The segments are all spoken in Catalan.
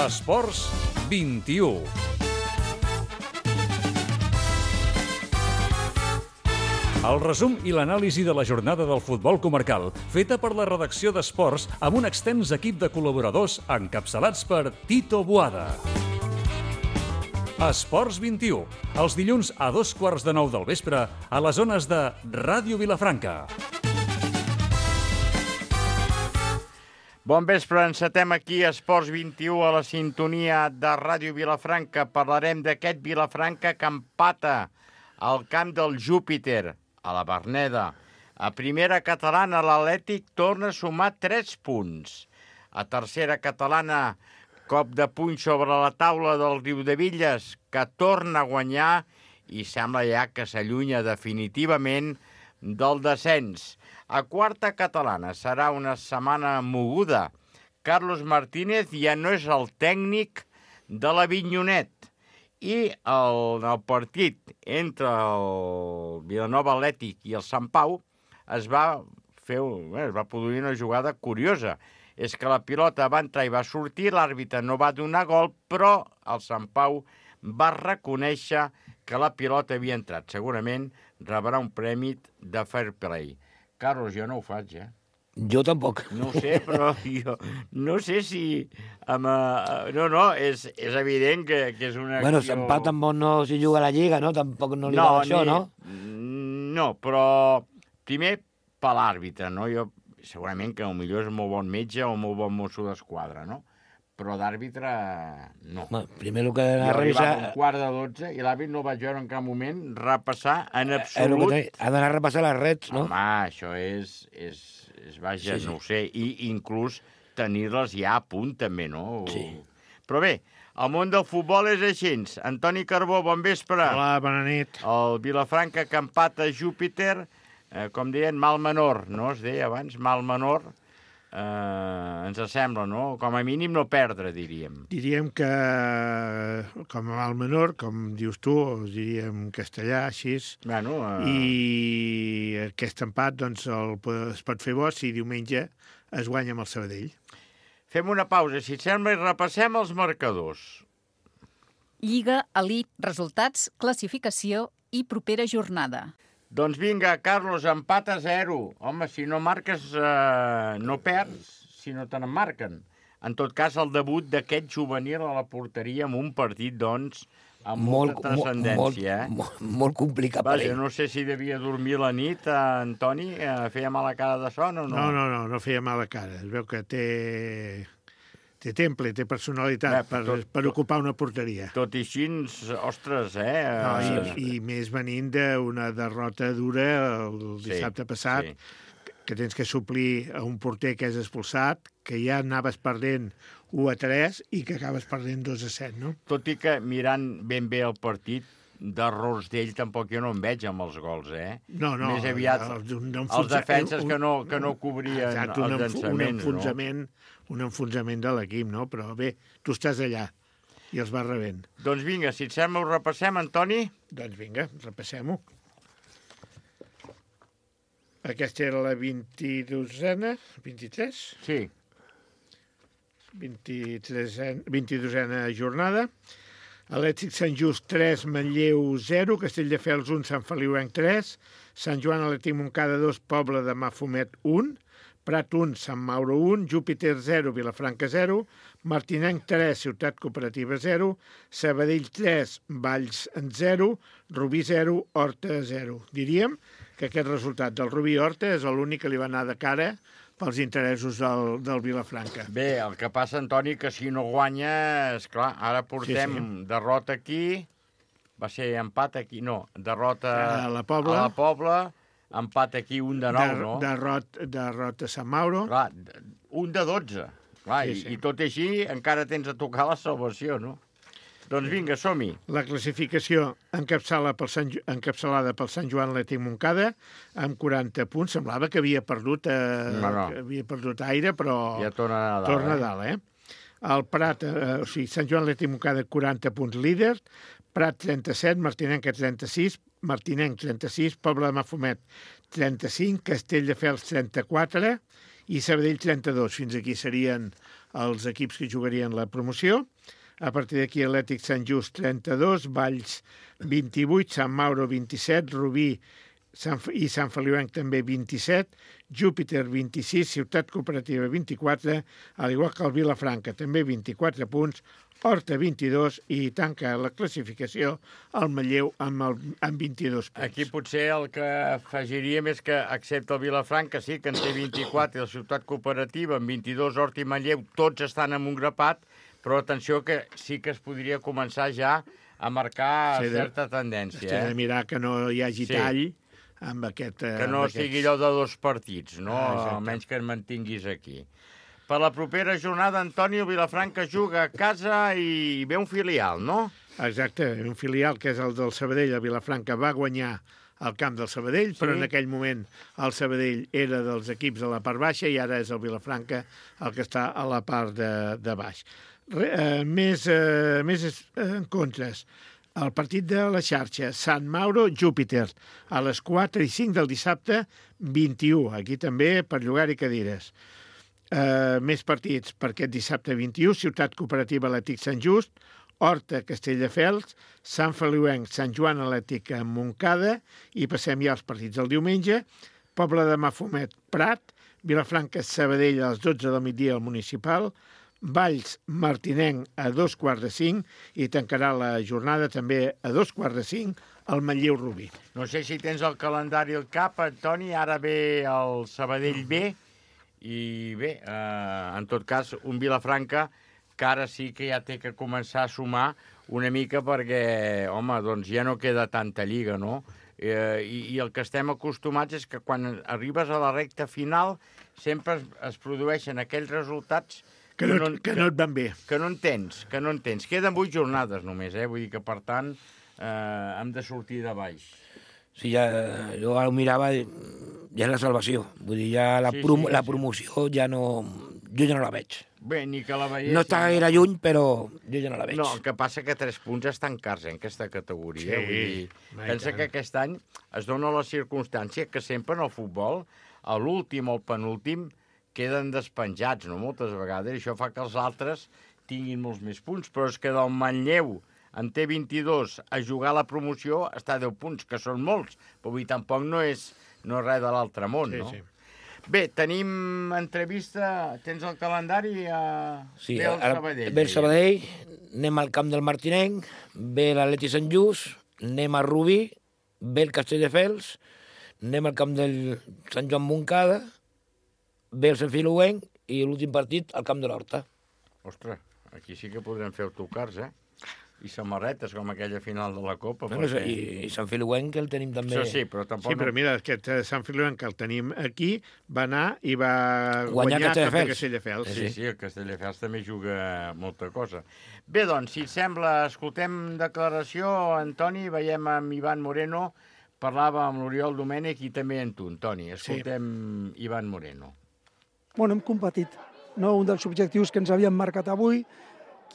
Esports 21. El resum i l'anàlisi de la jornada del futbol comarcal, feta per la redacció d'Esports amb un extens equip de col·laboradors encapçalats per Tito Boada. Esports 21, els dilluns a 8:15 del vespre a les zones de Ràdio Vilafranca. Bon vespre, encetem aquí Esports 21 a la sintonia de Ràdio Vilafranca. Parlarem d'aquest Vilafranca que empata al camp del Júpiter, a la Verneda. A primera catalana, l'Atlètic torna a sumar 3 punts. A tercera catalana, cop de puny sobre la taula del Riudevilles, que torna a guanyar i sembla ja que s'allunya definitivament del descens. A quarta catalana serà una setmana moguda. Carlos Martínez ja no és el tècnic de l'Avinyonet. I el partit entre el Vilanova Atlètic i el Sant Pau es va produir una jugada curiosa. És que la pilota va entrar i va sortir, l'àrbitre no va donar gol, però el Sant Pau va reconèixer que la pilota havia entrat. Segurament rebrà un premi de fair play. Carlos, jo no ho faig, Jo tampoc. No ho sé, però jo no sé si... és evident que és una acció... Bueno, s'empat amb on no s'hi juga a la Lliga, no? Tampoc no li va això, no? No, però primer per l'àrbitre, no? Jo segurament que potser és molt bon metge o molt bon mosso d'esquadra, no? Però d'àrbitre, no. Home, primer el que ha de revisar... Jo arribava a 1:15 i l'àrbitre no vaig veure en cap moment repassar en absolut... Ha d'anar a repassar les rets, no? Home, això és vaja, sí. No ho sé, i inclús tenir-les ja a punt també, no? Sí. Però bé, el món del futbol és així. Antoni Carbó, bon vespre. Hola, bona nit. El Vilafranca que empata Júpiter, com deien, mal menor, no? Es deia abans, mal menor. Ens sembla, no? Com a mínim no perdre, diríem. Diríem que, com a mal menor, com dius tu, diríem en castellà, així. Bueno, I aquest empat doncs, es pot fer bo si diumenge es guanya amb el Sabadell. Fem una pausa, si et sembla, i repassem els marcadors. Lliga, Elit, resultats, classificació i propera jornada. Doncs vinga, Carlos, empat a 0. Home, si no marques, no perds, si no te n'emmarquen. En tot cas, el debut d'aquest juvenil a la porteria amb un partit, doncs, amb molta transcendència. Molt complicat per ell. No sé si devia dormir la nit, Antoni. Feia mala cara de son o no? No feia mala cara. Es veu que té temple, té personalitat per ocupar una porteria. Tot i així, ostres, I més venint d'una derrota dura el dissabte passat, que tens que suplir a un porter que és expulsat, que ja anaves perdent 1-3 i que acabes perdent 2-7, no? Tot i que mirant ben bé el partit, d'errors d'ell tampoc jo no en veig amb els gols, No. Més aviat els defenses que no cobrien els llançaments, un enfonsament de l'equip, no? Però bé, tu estàs allà i els vas rebent. Doncs vinga, si et sembla ho repassem, Antoni? Doncs vinga, repassem-ho. Aquesta era la 22a, 23? Sí. 22a jornada. Atlètic Sant Just 3, Manlleu 0, Castelldefels 1, Sant Feliuenc 3, Sant Joan Atlètic Montcada 2, Pobla de Mafumet 1, Prat 1, Sant Mauro 1, Júpiter 0, Vilafranca 0, Martinenc 3, Ciutat Cooperativa 0, Sabadell 3, Valls 0, Rubí 0, Horta 0. Diríem que aquest resultat del Rubí Horta és l'únic que li va anar de cara pels interessos del Vilafranca. Bé, el que passa, Antoni, que si no guanya, esclar, ara portem derrota aquí, va ser empat aquí, no, derrota a la Pobla, empat aquí, 1-9, no? Derrota a Sant Mauro. Clar, 1-12. Clar, i tot i així encara tens a tocar la salvació, no? Doncs vinga, som-hi. La classificació encapçalada pel Sant Joan Atlètic Montcada amb 40 punts. Semblava que havia perdut aire, però ja torna a dalt. El Prat, Sant Joan Atlètic Montcada 40 punts líder, Prat 37, Martinenc 36, Martinenc 36, Pobla de Mafumet 35, Castelldefels 34 i Sabadell 32. Fins aquí serien els equips que jugarien la promoció. A partir d'aquí, Atlètic Sant Just 32, Valls 28, Sant Mauro 27, Rubí i Sant Feliuenc també 27, Júpiter 26, Ciutat Cooperativa 24, al igual que el Vilafranca també 24 punts, Horta 22 i tanca la classificació el Manlleu amb 22 punts. Aquí potser el que afegiríem és que, excepte el Vilafranca, sí, que en té 24, i la Ciutat Cooperativa amb 22, Horta i Manlleu, tots estan en un grapat, però atenció que sí que es podria començar ja a marcar certa tendència. Has de mirar que no hi hagi tall amb aquest... Que no sigui allò de 2 partits, no? Almenys que et mantinguis aquí. Per la propera jornada, Antonio, Vilafranca juga a casa i ve un filial, no? Exacte, un filial que és el del Sabadell. El Vilafranca va guanyar al camp del Sabadell, però en aquell moment el Sabadell era dels equips de la part baixa i ara és el Vilafranca el que està a la part de baix. Més encontres. El partit de la xarxa, Sant Mauro, Júpiter, a les 4 i 5 del dissabte, 21. Aquí també per llogar-hi cadires. Més partits per aquest dissabte 21, Ciutat Cooperativa Atlètic Sant Just, Horta, Castelldefels, Sant Feliuenc, Sant Joan Atlètic a Montcada, i passem ja als partits del diumenge, Pobla de Mafumet, Prat, Vilafranca, Sabadell a les 12 del migdia al Municipal, Valls, Martinenc a 2:45 i tancarà la jornada també a 2:45 al Manlleu Rubí. No sé si tens el calendari al cap, Toni, ara ve el Sabadell B, i bé, en tot cas, un Vilafranca que ara sí que ja té que començar a sumar una mica perquè, home, doncs ja no queda tanta lliga, no? I el que estem acostumats és que quan arribes a la recta final sempre es produeixen aquells resultats que no et van bé. Que no entens. Queden 8 jornades només, vull dir que, per tant, hem de sortir de baix. Sí, jo ara ho mirava, ja és la salvació. Vull dir, ja la promoció ja no... Jo ja no la veig. Bé, ni que la veiés... No està gaire lluny, però jo ja no la veig. No, el que passa que 3 punts estan cars en aquesta categoria. Vull dir, pensa que aquest any es dona la circumstància que sempre en el futbol, a l'últim o el penúltim, queden despenjats, no?, moltes vegades, i això fa que els altres tinguin molts més punts, però és que del Manlleu en té 22, a jugar a la promoció està a 10 punts, que són molts, però avui tampoc no és res de l'altre món, no? Sí. Bé, tenim entrevista, tens el calendari? Sí, ve el Sabadell. Ve el Sabadell, anem al camp del Martinenc, ve l'Atlètic Sant Just, anem a Rubí, ve el Castelldefels, anem al camp del Sant Joan Montcada, ve el Sant Feliuenc i l'últim partit al camp de l'Horta. Ostres, aquí sí que podrem fer autocars, I samarretes, com aquella final de la Copa. Bueno, perquè... I Sant Feliuenc, que el tenim també... Sí, però tampoc... Sí, però mira, aquest Sant Feliuenc que el tenim aquí va anar i va guanyar Castelldefels. Sí, el Castelldefels també juga molta cosa. Bé, doncs, si et sembla, escoltem declaració, Antoni, veiem amb Ivan Moreno, parlava amb l'Oriol Domènech i també amb tu, Antoni. Escoltem Ivan Moreno. Bueno, hem competit. No? Un dels objectius que ens havíem marcat avui,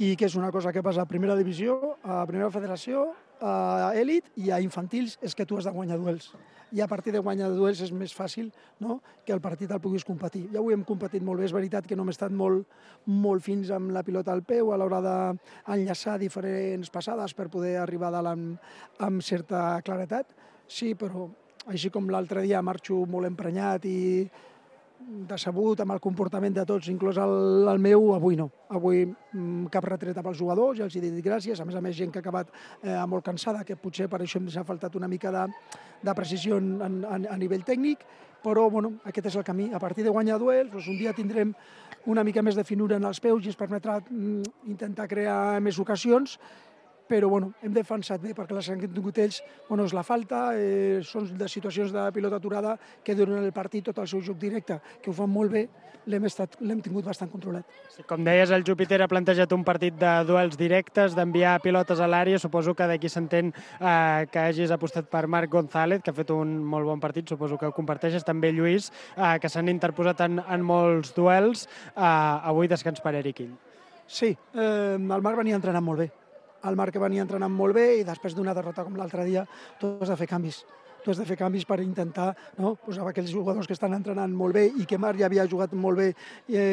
que és una cosa que passa a primera divisió, a primera federació, a elit i a infantils, és que tu has de guanyar duels. I a partir de guanyar duels és més fàcil, no?, que el partit el puguis competir. Ja avui hem competit molt bé, és veritat que no hem estat molt fins amb la pilota al peu a l'hora d'enllaçar diferents passades per poder arribar a dalt amb certa claretat. Sí, però així com l'altre dia marxo molt emprenyat i decebut amb el comportament de tots, inclús el meu, avui no. Avui cap retreta pels jugadors, ja els he dit gràcies, a més gent que ha acabat molt cansada, que potser per això ens ha faltat una mica de precisió a nivell tècnic, però bueno, aquest és el camí. A partir de guanyar duels, doncs un dia tindrem una mica més de finura en els peus i ens permetrà intentar crear més ocasions, però bueno, hem defensat bé perquè les han tingut ells, bueno, és la falta, són de situacions de pilota aturada que durant el partit tot el seu joc directe, que ho fan molt bé, l'hem tingut bastant controlat. Sí, com deies, el Júpiter ha plantejat un partit de duels directes, d'enviar pilotes a l'àrea, suposo que d'aquí s'entén que hagis apostat per Marc González, que ha fet un molt bon partit, suposo que ho comparteixes, també Lluís, que s'han interposat en molts duels, avui descans per Eric Ill. Sí, el Marc venia entrenant molt bé. El Marc venia entrenant molt bé i després d'una derrota com l'altre dia tot has de fer canvis. tu has de fer canvis per intentar, no?, posar aquells jugadors que estan entrenant molt bé i que Marc ja havia jugat molt bé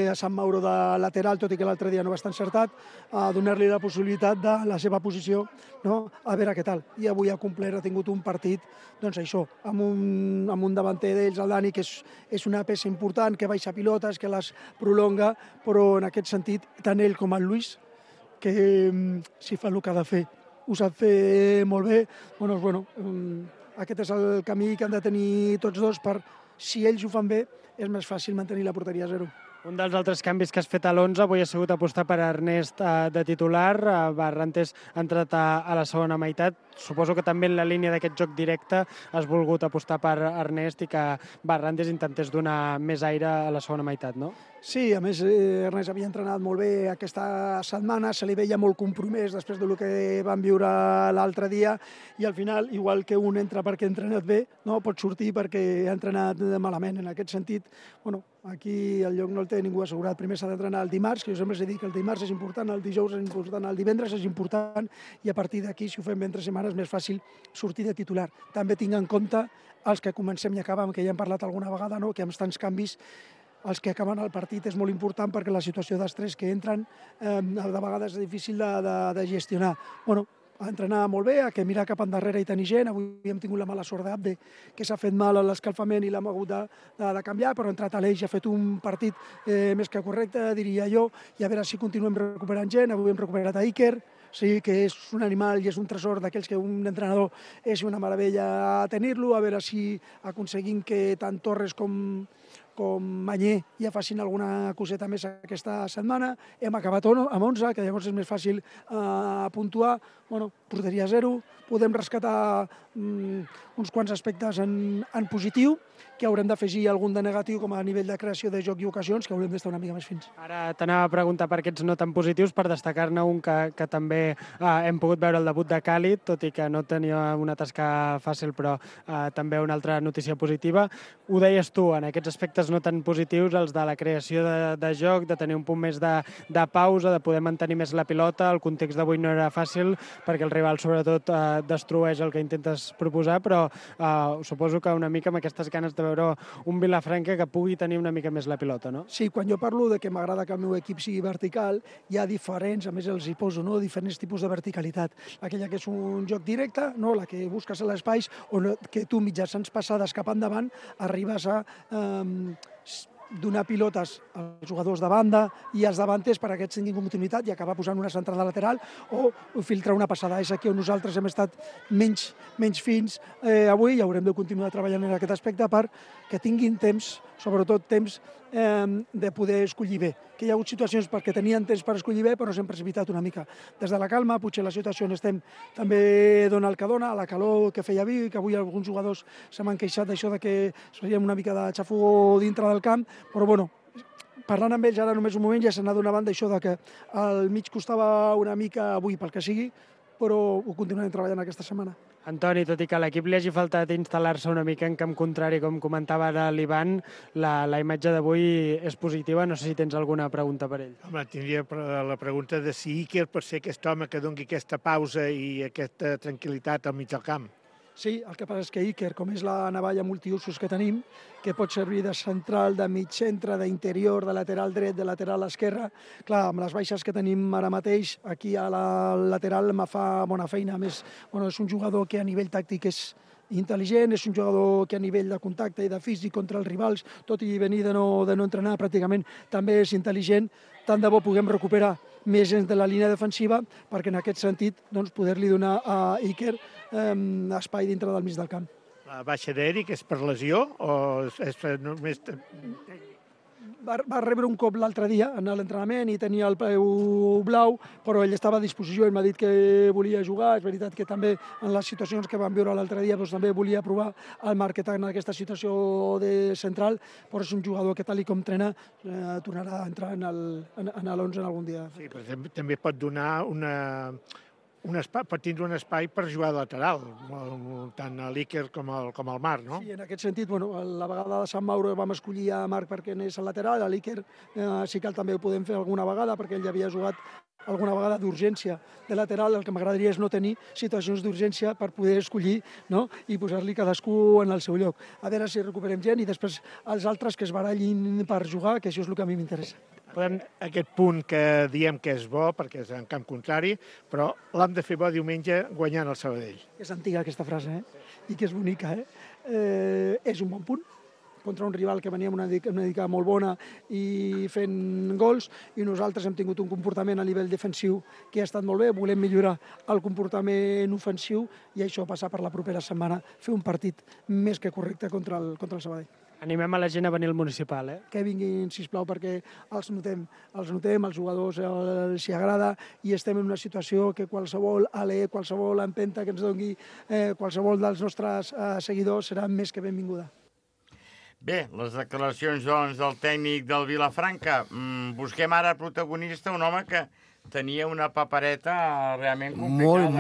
a Sant Mauro de lateral, tot i que l'altre dia no va estar encertat, a donar-li la possibilitat de la seva posició, no?, a veure què tal. I avui ha complert, ha tingut un partit, doncs això, amb un davanter d'ells, el Dani, que és una peça important, que baixa pilotes, que les prolonga, però en aquest sentit, tant ell com el Luis, que si fa el que ha de fer, ho sap fer molt bé, aquest és el camí que han de tenir tots dos per, si ells ho fan bé, és més fàcil mantenir la porteria a 0. Un dels altres canvis que has fet a l'11 avui ha sigut apostar per Ernest de titular. Barrantes ha entrat a la segona meitat. Suposo que també en la línia d'aquest joc directe has volgut apostar per Ernest i que Barrantes intentés donar més aire a la segona meitat, no? Sí, a més, Ernest havia entrenat molt bé aquesta setmana, se li veia molt compromès després del que vam viure l'altre dia i al final, igual que un entra perquè ha entrenat bé, no pot sortir perquè ha entrenat malament. En aquest sentit, aquí el lloc no el té ningú assegurat. Primer s'ha d'entrenar el dimarts, que jo sempre he dit que el dimarts és important, el dijous és important, el divendres és important i a partir d'aquí, si ho fem entre setmanes, és més fàcil sortir de titular. També tinc en compte els que comencem i acabem, que ja hem parlat alguna vegada, no?, que amb tants canvis els que acaben el partit és molt important perquè la situació d'estrès que entren de vegades és difícil de gestionar. A entrenar molt bé, a que mirar cap endarrere i tenir gent. Avui hem tingut la mala sort d'Abde, que s'ha fet mal a l'escalfament i l'hem hagut de canviar, però ha entrat a l'Eix i ha fet un partit més que correcte, diria jo, i a veure si continuem recuperant gent. Avui hem recuperat a Iker, sí, que és un animal i és un tresor d'aquells que un entrenador és una meravella tenir-lo, a veure si aconseguim que tant Torres com Mañé ja facin alguna coseta més aquesta setmana. Hem acabat amb 11, que llavors és més fàcil puntuar. Porteria 0, podem rescatar uns quants aspectes en positiu, que haurem d'afegir algun de negatiu com a nivell de creació de joc i ocasions, que haurem d'estar una mica més fins. Ara t'anava a preguntar per aquests no tan positius, per destacar-ne un que també hem pogut veure el debut de Càlid, tot i que no tenia una tasca fàcil, però també una altra notícia positiva. Ho deies tu, en aquests aspectes no tan positius, els de la creació de joc, de tenir un punt més de pausa, de poder mantenir més la pilota. El context d'avui no era fàcil, perquè el rival sobretot destrueix el que intentes proposar, però suposo que una mica amb aquestes ganes de veure un Vilafranca que pugui tenir una mica més la pilota, no? Sí, quan jo parlo de que m'agrada que el meu equip sigui vertical, hi ha diferents, a més els hi poso, no?, diferents tipus de verticalitat. Aquella que és un joc directe, no?, la que busques a l'espais, o que tu mitjançant passades cap endavant arribes a donar pilotes als jugadors de banda i als davanters per a que aquests tinguin continuïtat i acabar posant una centrada lateral o filtrar una passada. És aquí on nosaltres hem estat menys fins avui i haurem de continuar treballant en aquest aspecte per que tinguin temps, sobretot temps de poder escollir bé. Que hi ha hagut situacions perquè tenien temps per escollir bé, però s'han precipitat una mica. Des de la calma, potser la situació on estem també dona el que dona, la calor que feia vi, que avui alguns jugadors se m'han queixat d'això de que faríem una mica de xafogó dintre del camp, però parlant amb ells ara només un moment ja s'ha adonat d'això de que al mig costava una mica avui pel que sigui, però ho continuarem treballant aquesta setmana. Antoni, tot i que a l'equip li hagi faltat instal·lar-se una mica en camp contrari, com comentava ara l'Ivan, la imatge d'avui és positiva. No sé si tens alguna pregunta per ell. Home, tindria la pregunta de si Iker pot ser aquest home que doni aquesta pausa i aquesta tranquil·litat al mig del camp. Sí, el que passa és que Iker, com és la navalla multiusos que tenim, que pot servir de central, de mig centre, d'interior, de lateral dret, de lateral esquerra, clar, amb les baixes que tenim ara mateix, aquí a la lateral me fa bona feina. A més, és un jugador que a nivell tàctic és intel·ligent, és un jugador que a nivell de contacte i de físic contra els rivals, tot i venir de no entrenar pràcticament, també és intel·ligent. Tant de bo puguem recuperar més gent de la línia defensiva perquè en aquest sentit poder-li donar a Iker espai dintre del mig del camp. La baixa d'Eric és per lesió o és només... Va rebre un cop l'altre dia en l'entrenament i tenia el peu blau, però ell estava a disposició, ell m'ha dit que volia jugar. És veritat que també en les situacions que vam viure l'altre dia també volia provar el Marquet en aquesta situació de central, però és un jugador que tal com entrena tornarà a entrar en l'11 en algun dia. Sí, però també pot donar pot tindre un espai per jugar de lateral, tant a l'Iker com al Marc, no? Sí, en aquest sentit, la vegada de Sant Mauro vam escollir a Marc perquè anés al lateral, a l'Iker sí que també ho podem fer alguna vegada perquè ell ja havia jugat alguna vegada d'urgència de lateral, el que m'agradaria és no tenir situacions d'urgència per poder escollir, no? I posar-li cadascú en el seu lloc. A veure si recuperem gent i després els altres que es barallin per jugar, que això és el que a mi m'interessa. Aquest punt que diem que és bo, perquè és en camp contrari, però l'hem de fer bo diumenge guanyant el Sabadell. És antiga aquesta frase, i que és bonica. És un bon punt contra un rival que venia amb una dica molt bona i fent gols, i nosaltres hem tingut un comportament a nivell defensiu que ha estat molt bé, volem millorar el comportament ofensiu i això passa per la propera setmana, fer un partit més que correcte contra el Sabadell. Animem a la gent a venir al municipal, Que vinguin, sisplau, perquè els notem, als jugadors els hi agrada i estem en una situació que qualsevol alè, qualsevol empenta que ens doni qualsevol dels nostres seguidors serà més que benvinguda. Bé, les declaracions, doncs, del tècnic del Vilafranca. Busquem ara protagonista, un home que tenia una papereta realment complicada.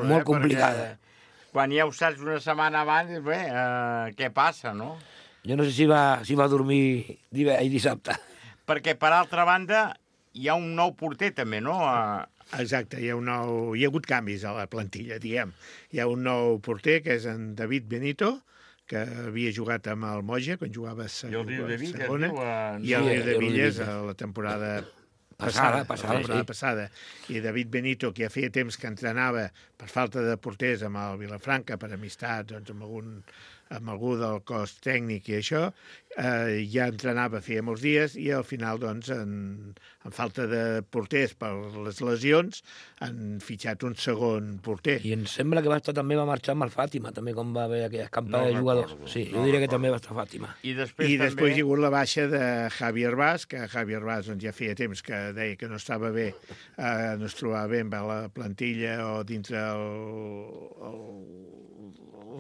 Molt complicada. Quan ja ho saps una setmana abans, bé, què passa, no? Jo no sé si va dormir dissabte. Perquè, per altra banda, hi ha un nou porter, també, no? Exacte, hi ha hagut canvis a la plantilla, diguem. Hi ha un nou porter, que és en David Benito, que havia jugat amb el Moja, quan jugava a segona, i el Riu de Villes a la temporada passada. I David Benito, que ja feia temps que entrenava per falta de porters amb el Vilafranca, per amistat, doncs, amb algú del cos tècnic i això, ja entrenava feia molts dies i al final, doncs, en falta de porters per les lesions, han fitxat un segon porter. I em sembla que va marxar amb el Fàtima, també, quan va haver aquella escampada de jugadors. Sí, jo diria que també va estar Fàtima. I després hi ha hagut la baixa de Javier Vaz, que Javier Vaz ja feia temps que deia que no estava bé, no es trobava bé amb la plantilla o dintre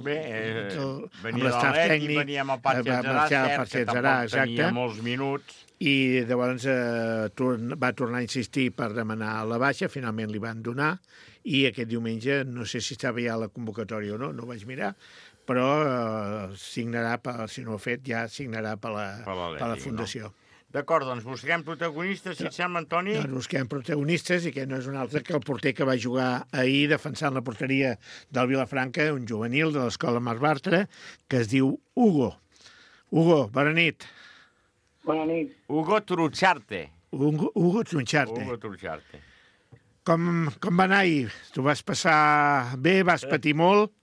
venia de l'Atlètic, venia amb el Parc que tampoc tenia molts minuts. I llavors va tornar a insistir per demanar la baixa, finalment li van donar, i aquest diumenge, no sé si estava ja a la convocatòria o no, no ho vaig mirar, però signarà, si no ho ha fet, ja signarà per la Fundació. No? D'acord, doncs busquem protagonistes, si et sembla, Antoni? Doncs busquem protagonistes, i que no és un altre que el porter que va jugar ahir defensant la porteria del Vilafranca, un juvenil de l'escola Marc Bartra, que es diu Hugo. Hugo, bona nit. Bona nit. Hugo Trucharte. Hugo Trucharte. Com va anar ahir? Tu vas passar bé, vas patir molt?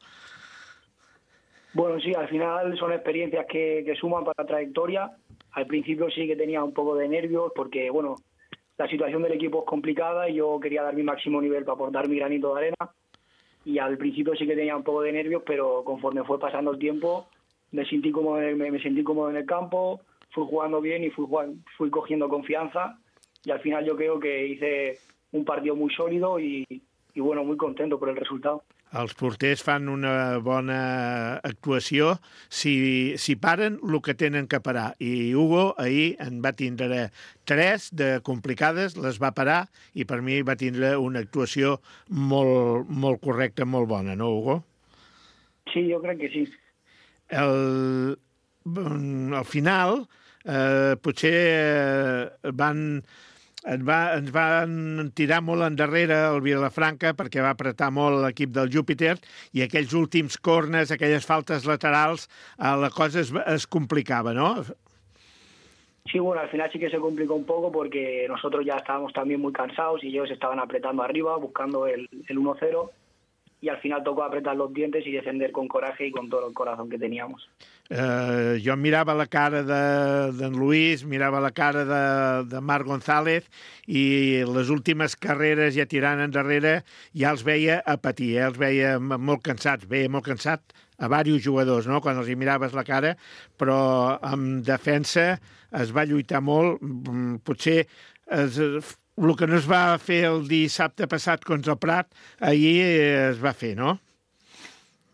Bueno, sí, al final son experiencias que suman para la trayectoria. Al principio sí que tenía un poco de nervios porque, bueno, la situación del equipo es complicada y yo quería dar mi máximo nivel para aportar mi granito de arena. Y al principio sí que tenía un poco de nervios, pero conforme fue pasando el tiempo me sentí cómodo en el campo, fui jugando bien y fui cogiendo confianza. Y al final yo creo que hice un partido muy sólido y bueno, muy contento por el resultado. Els porters fan una bona actuació si paren el que tenen que parar. I Hugo ahir en va tindre 3 de complicades, les va parar, i per mi va tindre una actuació molt correcta, molt bona, no, Hugo? Sí, jo crec que sí. Al final, potser ens van tirar molt endarrere el Vilafranca perquè va apretar molt l'equip del Júpiter, i aquells últims corners, aquelles faltes laterals, la cosa es complicava, ¿no? Sí, bueno, al final sí que se complicó un poco porque nosotros ya estábamos también muy cansados y ellos estaban apretando arriba, buscando el 1-0, y al final tocó apretar los dientes y defender con coraje y con todo el corazón que teníamos. Jo mirava la cara d'en Luis, mirava la cara de Marc González, i les últimes carreres ja tirant endarrere ja els veia a patir, els veia molt cansats, veia molt cansat a diversos jugadors, no?, quan els hi miraves la cara, però en defensa es va lluitar molt. Potser el que no es va fer el dissabte passat contra el Prat, ahir es va fer, ¿no?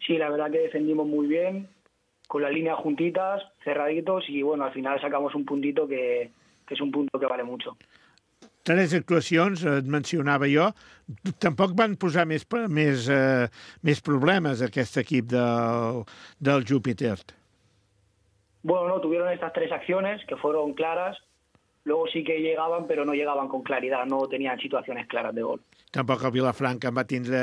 Sí, la verdad que defendimos muy bien, con las líneas juntitas, cerraditos, y bueno, al final sacamos un puntito que es un punto que vale mucho. 3 actuacions, et mencionava jo. Tampoc van posar més problemes aquest equip del Júpiter. Bueno, no, tuvieron estas 3 acciones que fueron claras. luego sí que llegaban, pero no llegaban con claridad, no tenían situaciones claras de gol. Tampoc el Vilafranca en va tindre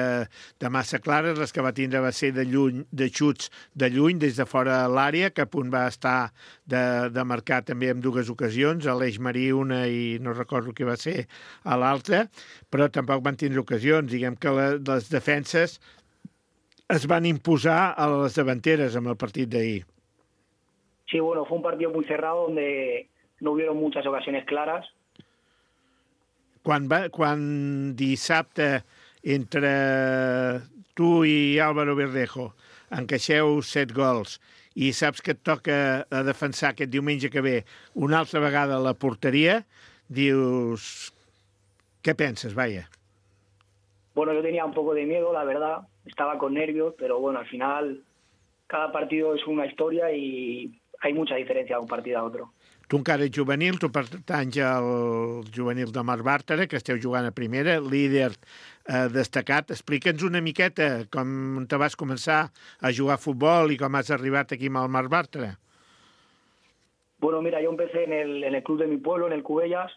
de massa clares, les que va tindre va ser de lluny, de xuts de lluny, des de fora l'àrea, que a punt va estar de marcar també en dues ocasions, a l'Eix Marí una i no recordo què va ser a l'altra, però tampoc van tindre ocasions. Diguem que les defenses es van imposar a les davanteres amb el partit d'ahir. Sí, bueno, fue un partido muy cerrado donde no hubieron muchas ocasiones claras. Quan dissabte entre tu i Álvaro Verdejo encaixeu 7 gols i saps que et toca a defensar aquest diumenge que ve una altra vegada a la porteria, dius... Què penses, vaya? Bueno, yo tenía un poco de miedo, la verdad. Estaba con nervios, pero bueno, al final cada partido es una historia y hay mucha diferencia de un partido a otro. Tu encara ets juvenil, tu pertanys al juvenil de Marc Bàrtara, que esteu jugant a primera, líder destacat. Explica'ns una miqueta com te vas començar a jugar a futbol i com has arribat aquí amb el Marc Bàrtara. Bueno, mira, yo empecé en el club de mi pueblo, en el Cubellas,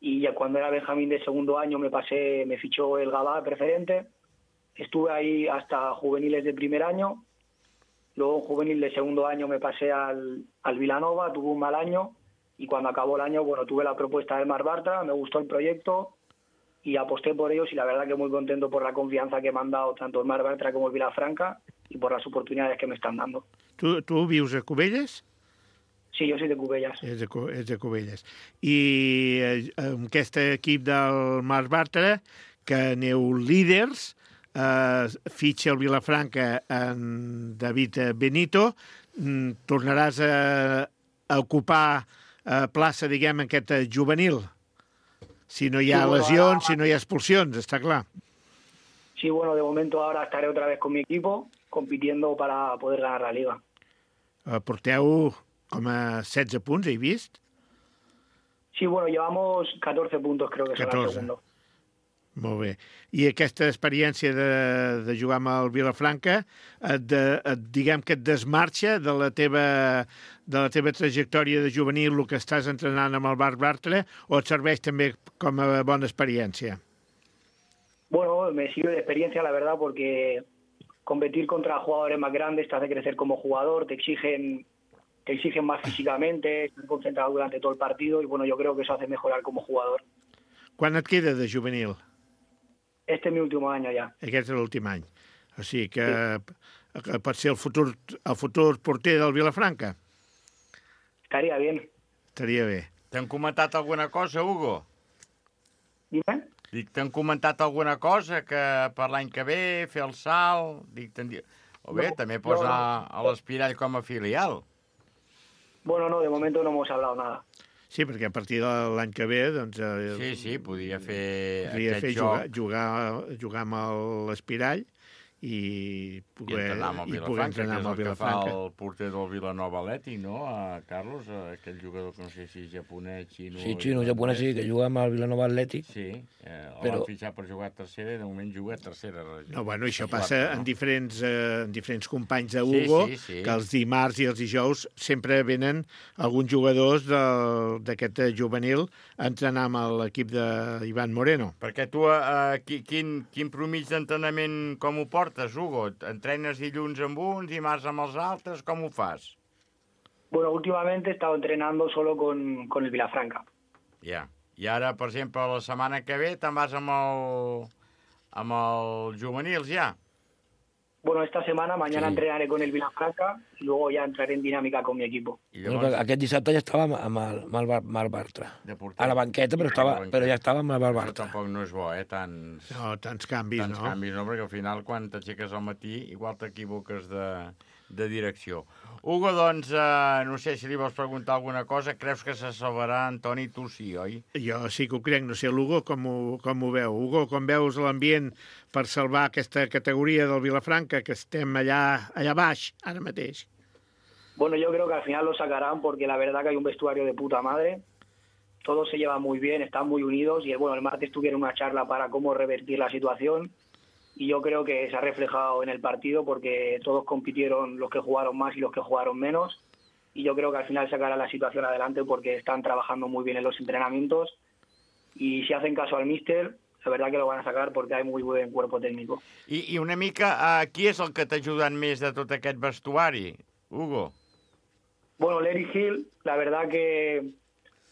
y ya cuando era Benjamín de segundo año me fichó el Gabá preferente. Estuve ahí hasta juveniles de primer año. Luego en juvenil de segundo año me pasé al Vilanova, tuve un mal año y cuando acabó el año, bueno, tuve la propuesta del Marc Bàrtara, me gustó el proyecto y aposté por ellos y la verdad que muy contento por la confianza que me han dado tanto el Marc Bàrtara como el Vilafranca y por las oportunidades que me están dando. Tu vius a Cubelles? Sí, yo soy de Cubellas. És de Cubelles. I amb aquest equip del Marc Bàrtara, que aneu líders, fitxa el Vilafranca en David Benito, tornaràs a ocupar plaça, diguem, en aquest juvenil, si no hi ha lesions, si no hi ha expulsions, està clar. Sí, bueno, de momento ahora estaré otra vez con mi equipo, compitiendo para poder ganar la Liga. Porteu com a 16 punts, he vist? Sí, bueno, llevamos 14 puntos, creo que son el segundo. Molt bé. I aquesta experiència de jugar amb el Vilafranca, diguem que et desmarxa de la teva trajectòria de juvenil, el que estàs entrenant amb el Marc Bàrtara, o et serveix també com a bona experiència? Bueno, me sirve de experiencia, la verdad, porque competir contra jugadores más grandes te hace crecer como jugador, te exigen más físicamente, estar concentrado durante todo el partido y bueno, yo creo que eso hace mejorar como jugador. Quan et queda de juvenil? Este es mi último año ya. Aquest és l'últim any. O sigui que pot ser el futur porter del Vilafranca? Estaría bien. Estaria bé. T'han comentat alguna cosa, Hugo? Dime? Dic, t'han comentat alguna cosa que per l'any que ve, fer el salt... Dic, o bé, també posar a l'Espirall com a filial. Bueno, no, de momento no hemos hablado nada. Sí, perquè a partir de l'any que ve, doncs... Sí, podia fer jugar amb l'Espirall i poder entrenar amb el Vilafranca. Que fa el porter del Vilanova Atlètic, no, Carlos? Aquell jugador que no sé si és japonès, xino... Sí, xino, japonès, sí, que juga amb el Vilanova Atlètic. Sí, el van fitxar per jugar a tercera i de moment juga a tercera. No, bueno, això passa en diferents companys de Hugo, que els dimarts i els dijous sempre venen alguns jugadors d'aquest juvenil a entrenar amb l'equip d'Ivan Moreno. Perquè tu, quin promig d'entrenament com ho portes, Hugo? Entrenes dilluns amb uns, dimarts amb els altres, com ho fas? Bueno, últimamente he estado entrenando solo con el Vilafranca. Ja. I ara, per exemple, la setmana que ve te'n vas amb el juvenils, ja? Bueno, esta semana, mañana entrenaré con el Vilafranca y luego ya entraré en dinámica con mi equipo. Llavors... Aquest dissabte ja estava amb el Marc Bàrtara. A la banqueta, però ja estava amb el Marc Bàrtara. Tampoc no és bo, tants canvis, no? Tants canvis, no? Perquè al final, quan t'aixeques al matí, igual t'equivoques de direcció. Hugo, doncs, no sé si li vols preguntar alguna cosa. Creus que se salvarà Antoni? Tu sí, oi? Jo sí que ho crec. No sé, l'Hugo com ho veu? Hugo, com veus l'ambient per salvar aquesta categoria del Vilafranca, que estem allà baix, ara mateix? Bueno, yo creo que al final lo sacarán porque la verdad que hay un vestuario de puta madre. Todos se llevan muy bien, están muy unidos y el martes tuvieron una charla para cómo revertir la situación y yo creo que se ha reflejado en el partido porque todos compitieron, los que jugaron más y los que jugaron menos y yo creo que al final sacará la situación adelante porque están trabajando muy bien en los entrenamientos y si hacen caso al míster, la verdad que lo van a sacar porque hay muy buen cuerpo técnico. I una mica, qui és el que t'ha ajudat més de tot aquest vestuari, Hugo? Bueno, Larry Hill, la verdad que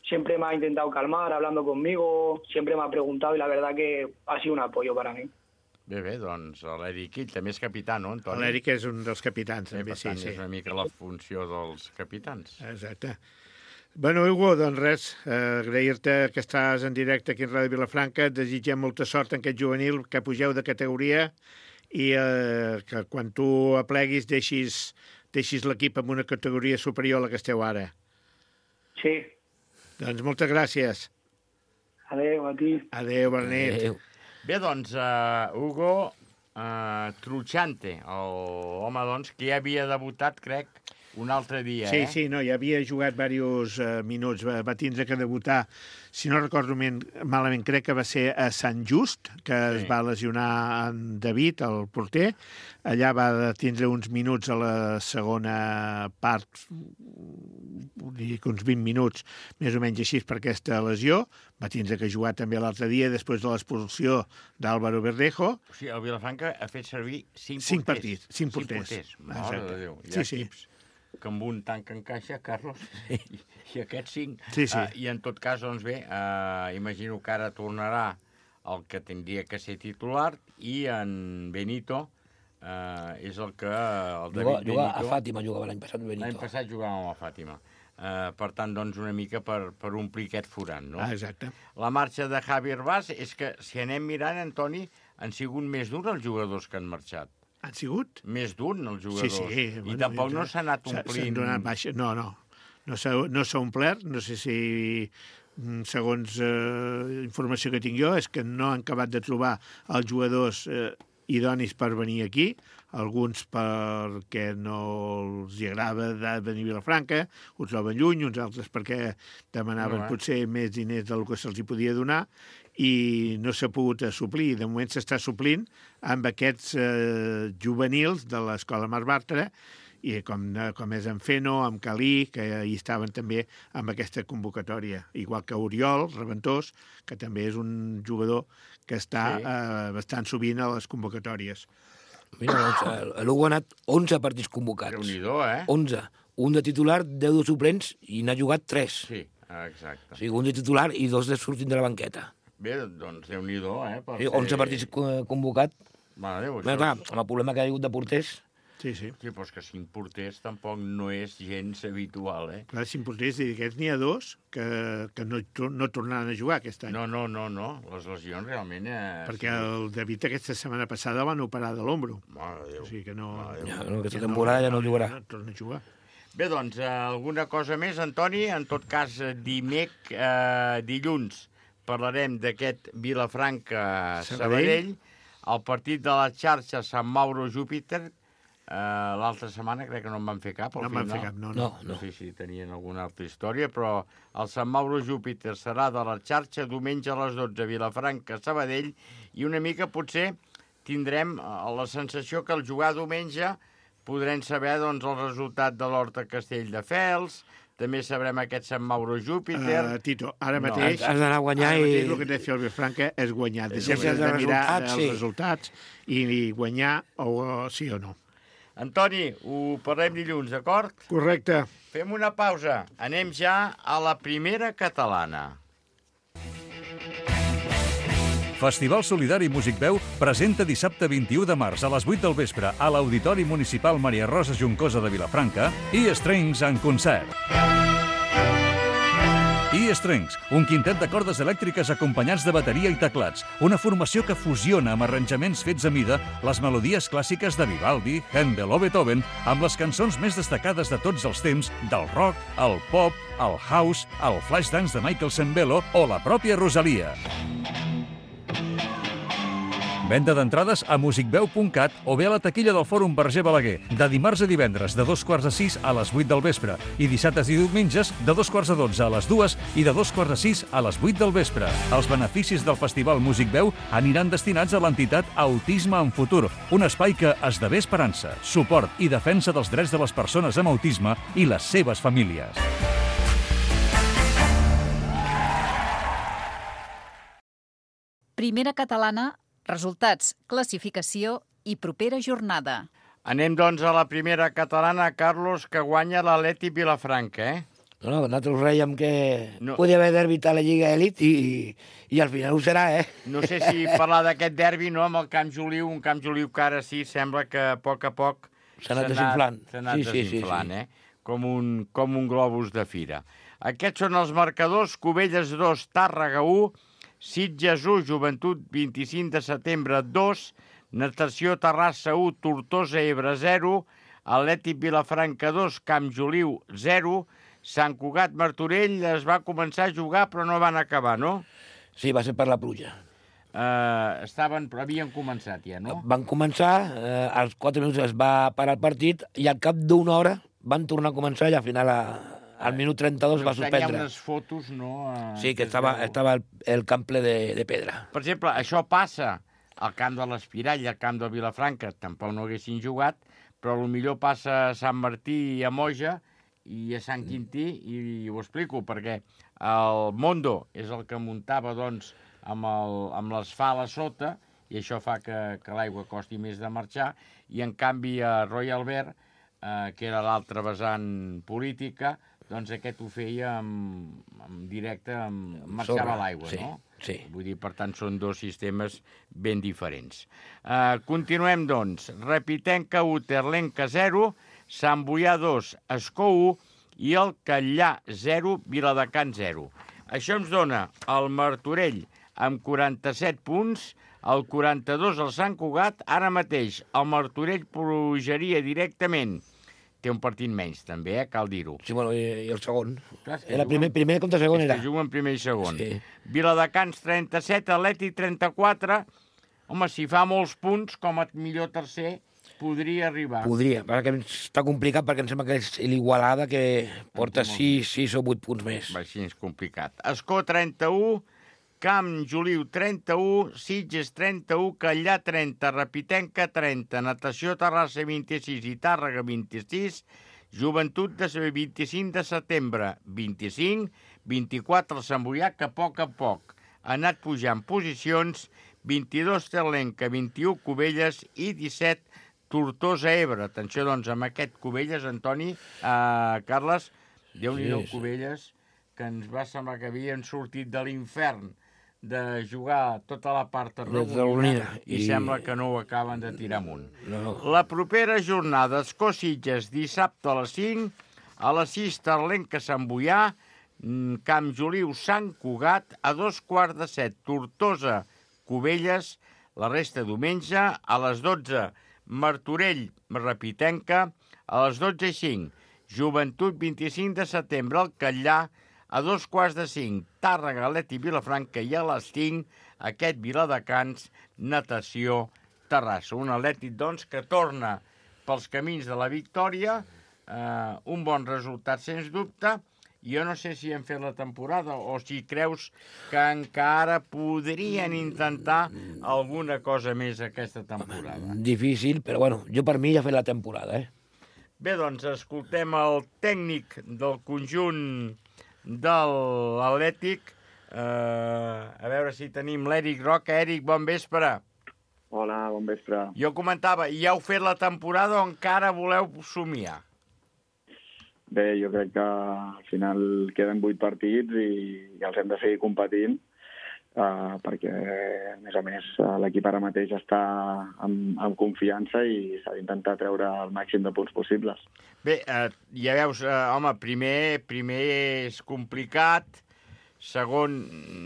siempre me ha intentado calmar hablando conmigo, siempre me ha preguntado y la verdad que ha sido un apoyo para mí. Bé, doncs l'Eric Hill també és capità, no, Antoni? L'Eric és un dels capitans, també, Per tant, sí. és una mica la funció dels capitans. Exacte. Bueno, Hugo, doncs res, agrair-te que estàs en directe aquí en Ràdio Vilafranca, et desitgem molta sort en aquest juvenil, que pugeu de categoria i que quan tu apleguis deixis l'equip en una categoria superior a la que esteu ara. Sí. Doncs moltes gràcies. Adéu, a ti. Adéu, bona nit. Adéu. Bé, doncs, Hugo Truchante, l'home, doncs, que ja havia debutat, crec, un altre dia, Sí, no, ja havia jugat diversos minuts. Va tindre que debutar, si no recordo malament, crec que va ser a Sant Just, que es va lesionar en David, el porter. Allà va tindre uns minuts a la segona part, uns 20 minuts, més o menys així, per aquesta lesió. Va tindre que jugar també l'altre dia, després de l'expulsió d'Álvaro Verdejo. O sigui, el Vilafranca ha fet servir 5 porters. 5 porters. Mare de Déu. Hi ha equips que amb un tanc encaixa, Carlos, i aquests 5. Sí. I en tot cas, doncs bé, imagino que ara tornarà el que tindria que ser titular i en Benito és el que... Jugava a Fàtima, jugava l'any passat Benito. L'any passat jugava amb la Fàtima. Per tant, doncs, una mica per omplir aquest forat, no? Exacte. La marxa de Javi Herbàs és que, si anem mirant, Antoni, han sigut més d'un els jugadors que han marxat. Han sigut? Més d'un, els jugadors. Sí. I tampoc no s'ha anat omplint... S'han donat baixa. No. No s'ha omplert. No sé si, segons informació que tinc jo, és que no han acabat de trobar els jugadors idonis per venir aquí, alguns perquè no els agrada venir a Vilafranca, uns troben lluny, uns altres perquè demanaven potser més diners del que se'ls podia donar, i no s'ha pogut suplir. De moment s'està suplint amb aquests juvenils de l'Escola Mar Bartra, i com és en Feno, amb Calí, que hi estaven també amb aquesta convocatòria. Igual que Oriol Reventós, que també és un jugador que està bastant sovint a les convocatòries. Mira, doncs, l'Hugo ha anat 11 partits convocats. Déu-n'hi-do, 11. Un de titular, 10 de suplents, i n'ha jugat 3. Sí, exacte. O sigui, un de titular i 2 de sortint de la banqueta. Bé, doncs Déu-n'hi-do, Sí, 11 partits convocats. Mare Déu, Clar, amb el problema que ha hagut de porters. Sí. Sí, però és que 5 porters tampoc no és gens habitual, Clar, 5 porters, i d'aquests n'hi ha 2 que no tornaran a jugar aquest any. No. Les lesions realment... Perquè el David aquesta setmana passada van operar de l'ombro. Mare de Déu. O sigui que no... Aquesta temporada ja no jugarà. No torna a jugar. Bé, doncs, alguna cosa més, Antoni? En tot cas, dilluns parlarem d'aquest Vilafranca-Sabadell, el partit de la xarxa Sant Mauro-Júpiter. L'altra setmana crec que no en van fer cap. No en van fer cap, no. No sé si tenien alguna altra història, però el Sant Mauro-Júpiter serà de la xarxa diumenge a les 12, Vilafranca-Sabadell, i una mica potser tindrem la sensació que al jugar diumenge podrem saber doncs, el resultat de l'Horta-Castelldefels, també sabrem aquest Sant Mauro-Júpiter... Tito, ara mateix... Has d'anar a guanyar i... Ara mateix el que té de fer el Vilafranca és guanyar. Deixem de mirar els resultats i guanyar sí o no. Antoni, ho parlem dilluns, d'acord? Correcte. Fem una pausa. Anem ja a la primera catalana. Festival Solidari Músic Veu presenta dissabte 21 de març a les 8 del vespre a l'Auditori Municipal Maria Rosa Juncosa de Vilafranca E-Strings en concert. E-Strings, un quintet de cordes elèctriques acompanyats de bateria i teclats, una formació que fusiona amb arranjaments fets a mida les melodies clàssiques de Vivaldi, Händel o Beethoven amb les cançons més destacades de tots els temps del rock, el pop, el house, el flashdance de Michael Sembello o la pròpia Rosalia. Venda d'entrades a musicveu.cat o bé a la taquilla del Fòrum Verger Balaguer, de dimarts a divendres de 2:45 a les 8 del vespre i dissabtes i diumenges de 2:45 a les 2 i de 2:45 a les 8 del vespre. Els beneficis del Festival Músic Veu aniran destinats a l'entitat Autisme en Futur, un espai que esdevé esperança, suport i defensa dels drets de les persones amb autisme i les seves famílies. Primera catalana, resultats, classificació i propera jornada. Anem, doncs, a la primera catalana, Carlos, que guanya l'Atlètic Vilafranca, No, nosaltres rèiem que No. podia haver derbit a la Lliga Elit i al final ho serà, No sé si parlar d'aquest derbi, no?, amb el Camp Joliu, un Camp Joliu que ara sí sembla que a poc S'ha anat desinflant. S'ha anat Sí, sí, desinflant, sí. Com un globus de fira. Aquests són els marcadors: Cubelles 2, Tàrrega 1, Sitges 1, Joventut 25 de setembre 2, Natació Terrassa 1, Tortosa Ebre 0, Atlètic Vilafranca 2, Camp Joliu 0, Sant Cugat Martorell es va començar a jugar però no van acabar, no? Sí, va ser per la pluja. Però havien començat ja, no? Van començar, als 4 minuts es va parar el partit i al cap d'una hora van tornar a començar i al final al minut 32 va Tenia suspendre. unes fotos, no? Sí, que estava el camp ple de pedra. Per exemple, això passa al camp de l'Espirall i al camp de Vilafranca, tampoc no haguessin jugat, però potser passa a Sant Martí i a Moja i a Sant Quintí, i ho explico, perquè el Mondo és el que muntava, doncs, amb l'asfalt a sota, i això fa que l'aigua costi més de marxar, i en canvi a Royal Albert, que era l'altra vessant política, doncs aquest ho feia en directe, marxava l'aigua, sí, no? Sí. Vull dir, per tant, són dos sistemes ben diferents. Continuem, doncs. Repitenca 1, Terlenca 0, Sant Boià 2, Escó 1 i el Catllà 0, Viladecans 0. Això ens dona el Martorell amb 47 punts, el 42 el Sant Cugat. Ara mateix el Martorell pujaria directament. Té un partit menys, també, cal dir-ho. Sí, bueno, i el segon. Clar, Era primer contra segon, era. Que juguen primer i segon. Sí. Viladecans 37, Atlètic 34. Home, si fa molts punts, com a millor tercer, podria arribar. Podria, perquè està complicat perquè em sembla que és l'Igualada que porta 6 o 8 punts més. Va, així és complicat. Escó 31, Camp Joliu 31, Sitges 31, Catllà 30, Repitenca 30, Natació Terrassa 26 i Tàrrega 26, Joventut de 25 de setembre 25, 24 el Sant Boià, que a poc ha anat pujant posicions, 22 Terlenca, 21 Cubelles i 17 Tortosa Ebre. Atenció, doncs, amb aquest Cubelles, Antoni, Carles, Déu-n'hi-do Cubelles, que ens va semblar que havien sortit de l'infern de jugar tota la part arrodonida i sembla que no ho acaben de tirar amunt. No. La propera jornada, Escó-Sitges, dissabte a les 5, a les 6 Terlenca Sant Boià, Camp Joliu Sant Cugat, a 2:45 Tortosa Cubelles, la resta diumenge, a les 12 Martorell Repitenca, a les 12:05 Joventut 25 de setembre al Catllà, a 2:45 Tàrrega, Atlètic Vilafranca i a les 5 aquest Viladecans, Natació Terrassa. Un Atlètic, doncs, que torna pels camins de la victòria, un bon resultat, sens dubte. Jo no sé si han fet la temporada o si creus que encara podrien intentar alguna cosa més aquesta temporada. Difícil, però bueno, jo per mi ja he fet la temporada, Bé, doncs, escoltem el tècnic del conjunt de l'Atlètic. A veure si tenim l'Eric Roca. Eric, bon vespre. Hola, bon vespre. Jo comentava, ja heu fet la temporada o encara voleu somiar? Bé, jo crec que al final queden 8 partits i els hem de seguir competint, perquè, a més, l'equip ara mateix està amb confiança i s'ha d'intentar treure el màxim de punts possibles. Bé, ja veus, home, primer és complicat, segon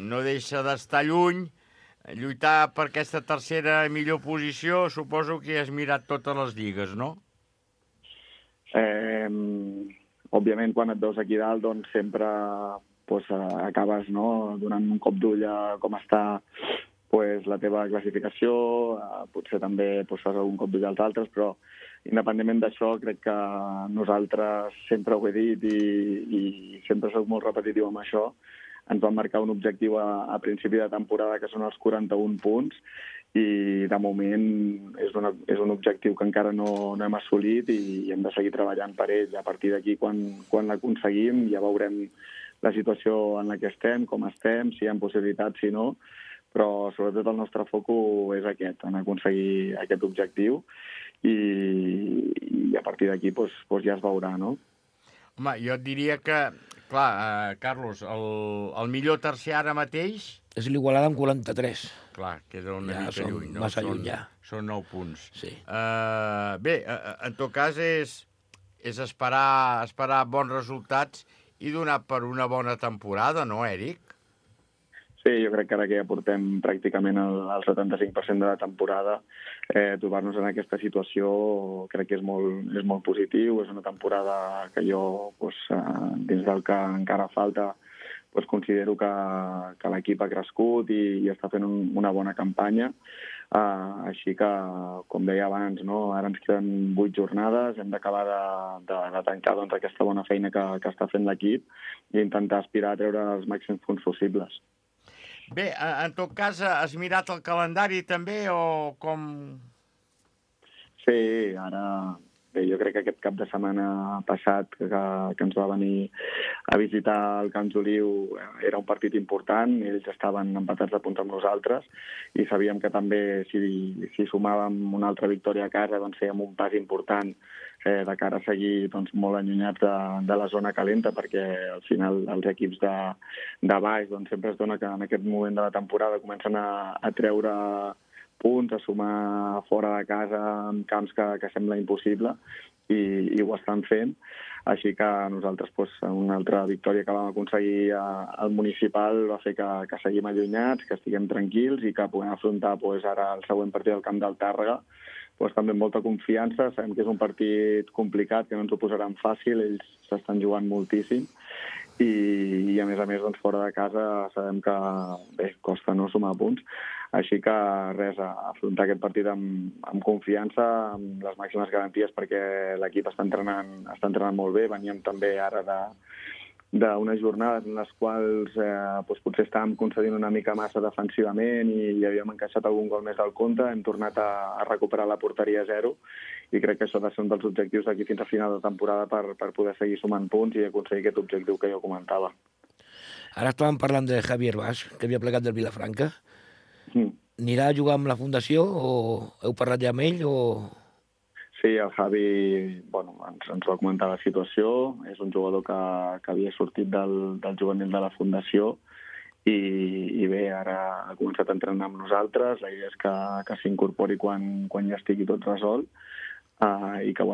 no deixa d'estar lluny, lluitar per aquesta tercera millor posició, suposo que has mirat totes les lligues, no? Òbviament, quan et veus aquí dalt, doncs sempre acabes donant un cop d'ull a com està pues, la teva classificació, potser també pues, fas algun cop d'ull als altres, però independentment d'això, crec que nosaltres, sempre ho he dit i sempre soc molt repetitiu amb això, ens vam marcar un objectiu a principi de temporada que són els 41 punts i de moment és un objectiu que encara no hem assolit i hem de seguir treballant per ell. A partir d'aquí, quan l'aconseguim, ja veurem la situació en la que estem, com estem, si hi ha possibilitats, si no, però sobretot el nostre focus és aquest, en aconseguir aquest objectiu i a partir d'aquí ja es veurà, no? Home, jo et diria que, clar, Carlos, el millor tercer ara mateix... És l'Igualada amb 43. Clar, queda una mica lluny, no? Massa lluny, ja. Són 9 punts. Sí. Bé, en tot cas és esperar bons resultats i donar per una bona temporada, no, Eric? Sí, jo crec que ara que ja portem pràcticament el 75% de la temporada, trobar-nos en aquesta situació crec que és molt positiu. És una temporada que jo, dins del que encara falta, considero que l'equip ha crescut i està fent una bona campanya. Així que, com deia abans, no? Ara ens queden 8 jornades, hem d'acabar de tancar aquesta bona feina que està fent l'equip i intentar aspirar a treure els màxims punts possibles. Bé, en tot cas, has mirat el calendari també o com...? Sí, ara... Bé, jo crec que aquest cap de setmana passat que ens va venir a visitar el Camp Joliu era un partit important, ells estaven empatats de punts amb nosaltres i sabíem que també si sumàvem una altra victòria a casa doncs fèiem un pas important de cara a seguir molt allunyats de la zona calenta, perquè al final els equips de baix sempre es dona que en aquest moment de la temporada comencen a treure punts, a sumar fora de casa en camps que sembla impossible i ho estan fent. Així que nosaltres una altra victòria que vam aconseguir al municipal va fer que seguim allunyats, que estiguem tranquils i que puguem afrontar ara el següent partit del camp del Tàrrega també amb molta confiança. Sabem que és un partit complicat, que no ens ho posaran fàcil, ells s'estan jugant moltíssim i a més, fora de casa sabem que costa no sumar punts. Així que res, afrontar aquest partit amb confiança, amb les màximes garanties, perquè l'equip està entrenant molt bé. Veníem també ara d'unes jornades en les quals potser estàvem concedint una mica massa defensivament i havíem encaixat algun gol més del compte. Hem tornat a recuperar la porteria a 0 i crec que això ha de ser un dels objectius d'aquí fins a final de temporada per poder seguir sumant punts i aconseguir aquest objectiu que jo comentava. Ara estàvem parlant de Javier Bas, que havia plegat del Vilafranca. Anirà a jugar amb la Fundació o heu parlat ja amb ell? Sí, el Javi ens va comentar la situació. És un jugador que havia sortit del juvenil de la Fundació i bé, ara ha començat a entrenar amb nosaltres. La idea és que s'incorpori quan ja estigui tot resolt i que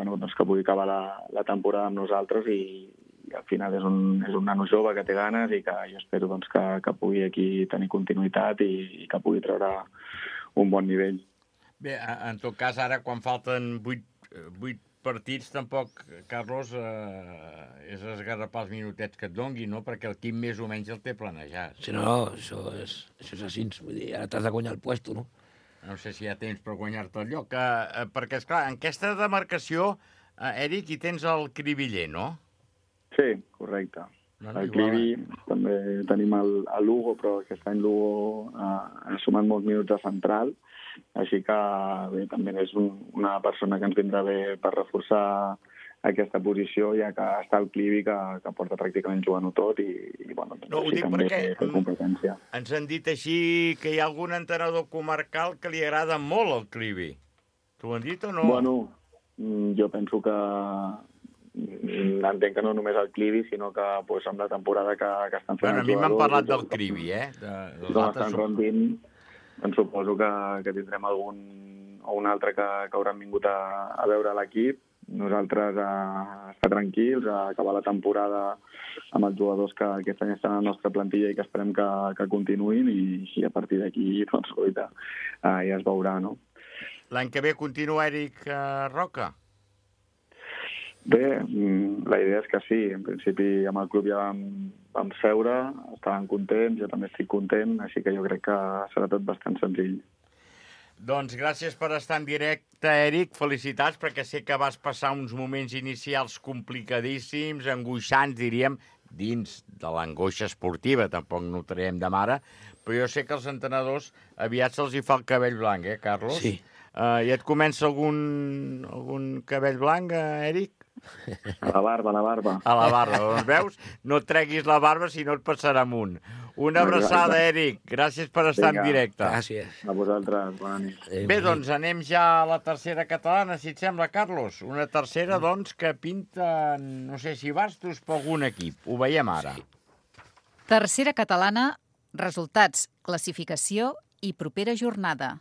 pugui acabar la temporada amb nosaltres i al final és un nano jove que té ganes i que jo espero que pugui aquí tenir continuïtat i que pugui treure un bon nivell. Bé, en tot cas, ara quan falten 8 partits, tampoc, Carlos, és esgarrapar els minutets que et dongui, no? Perquè el Quim més o menys el té planejat. Sí, no, això és així. Vull dir, ara t'has de guanyar el puesto, no? No sé si hi ha temps per guanyar-te el lloc. Perquè, esclar, en aquesta demarcació, Eric, hi tens el Cribiller, no? Sí, correcte. El Clivi, també tenim el Lugo, però aquest any Lugo ha sumat molts minuts de central, així que bé, també és una persona que ens vindrà bé per reforçar aquesta posició, ja que està el Clivi, que porta pràcticament jugant-ho tot i no, ho dic perquè competència. Ens han dit així que hi ha algun entrenador comarcal que li agrada molt el Clivi. T'ho han dit o no? Bueno, jo penso que entenc que no només el Clivi, sinó que amb la temporada que estan fent a mi m'han parlat del Clivi, Com estan rendint, doncs suposo que tindrem algun o un altre que hauran vingut a veure l'equip. Nosaltres a estar tranquils, a acabar la temporada amb els jugadors que aquest any estan a la nostra plantilla i que esperem que continuïn i a partir d'aquí, ja es veurà, no? L'any que ve continua Eric Roca? Bé, la idea és que sí. En principi, amb el club ja vam seure, estaven contents, jo també estic content, així que jo crec que serà tot bastant senzill. Doncs gràcies per estar en directe, Eric. Felicitats, perquè sé que vas passar uns moments inicials complicadíssims, angoixants, diríem, dins de l'angoixa esportiva, tampoc notarem de mare, però jo sé que als entrenadors aviat se'ls hi fa el cabell blanc, Carlos? Sí. I et comença algun cabell blanc, Eric? A la barba. A la barba, doncs veus? No et treguis la barba, si no et passarà amunt. Una abraçada, Eric. Gràcies per estar en directe. Gràcies. A vosaltres, bona nit. Bé, doncs anem ja a la tercera catalana, si et sembla, Carlos. Una tercera, doncs, que pinta, no sé si bastos, per algun equip. Ho veiem ara. Tercera catalana, resultats, classificació i propera jornada.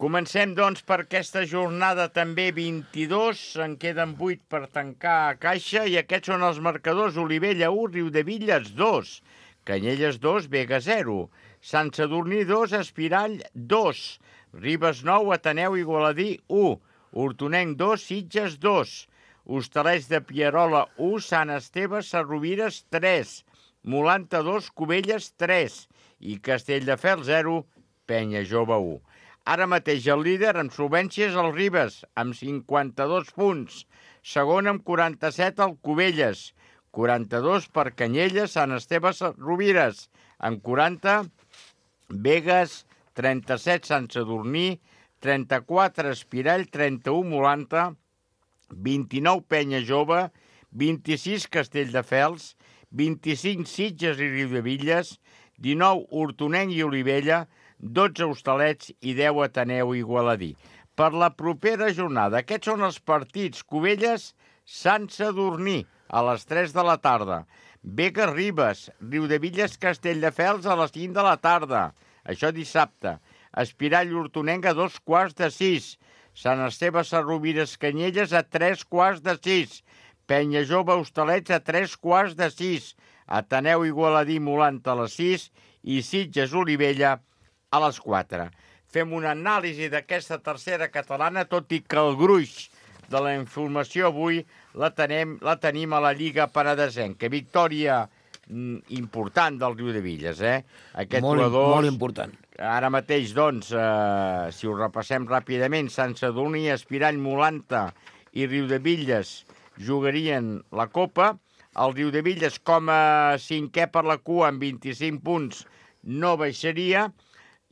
Comencem, doncs, per aquesta jornada també 22. En queden 8 per tancar a caixa i aquests són els marcadors. Olivella 1, Riudevilles 2, Canyelles 2, Vega 0, Sant Sadurní 2, Espirall 2, Ribes 9, Ateneu Igualadí 1, Hortonenc 2, Sitges 2, Hostalets de Pierola 1, Sant Esteve Sarrovires 3, Molanta 2, Cubelles 3 i Castelldefels 0, Penya Jove 1. Ara mateix el líder amb solvència és el Ribes, amb 52 punts. Segon amb 47 el Cubelles, 42 per Canyelles, Sant Esteve Rovires, amb 40 Vegas, 37 Sant Sadurní, 34 Espirall, 31 Molanta, 29 Penya Jove, 26 Castelldefels, 25 Sitges i Riudevilles, 19 Hortonenc i Olivella, 12 Hostalets i 10 Ateneu i Igualadí. Per la propera jornada, aquests són els partits. Cubelles, Sant Sadurní, a les 3 de la tarda. Vega Ribes, Riudevilles Castelldefels a les 5 de la tarda. Això dissabte. Espirall Hortonenc a 5:15. Sant Esteve Sarrovires Canyelles a 5:15. Penya Jove Hostalets a 5:15. Ateneu Igualadí Molanta a les 6 i Sitges Olivella a les 4. Fem una anàlisi d'aquesta tercera catalana, tot i que el gruix de la informació avui la tenim a la Lliga Penedesenca. Victòria important del Riudevilles, Aquest jugador... Molt important. Ara mateix, doncs, si ho repassem ràpidament, Sant Sadurní, Espirall, Molanta i Riudevilles jugarien la Copa. El Riudevilles, com a cinquè per la cua, amb 25 punts, no baixaria.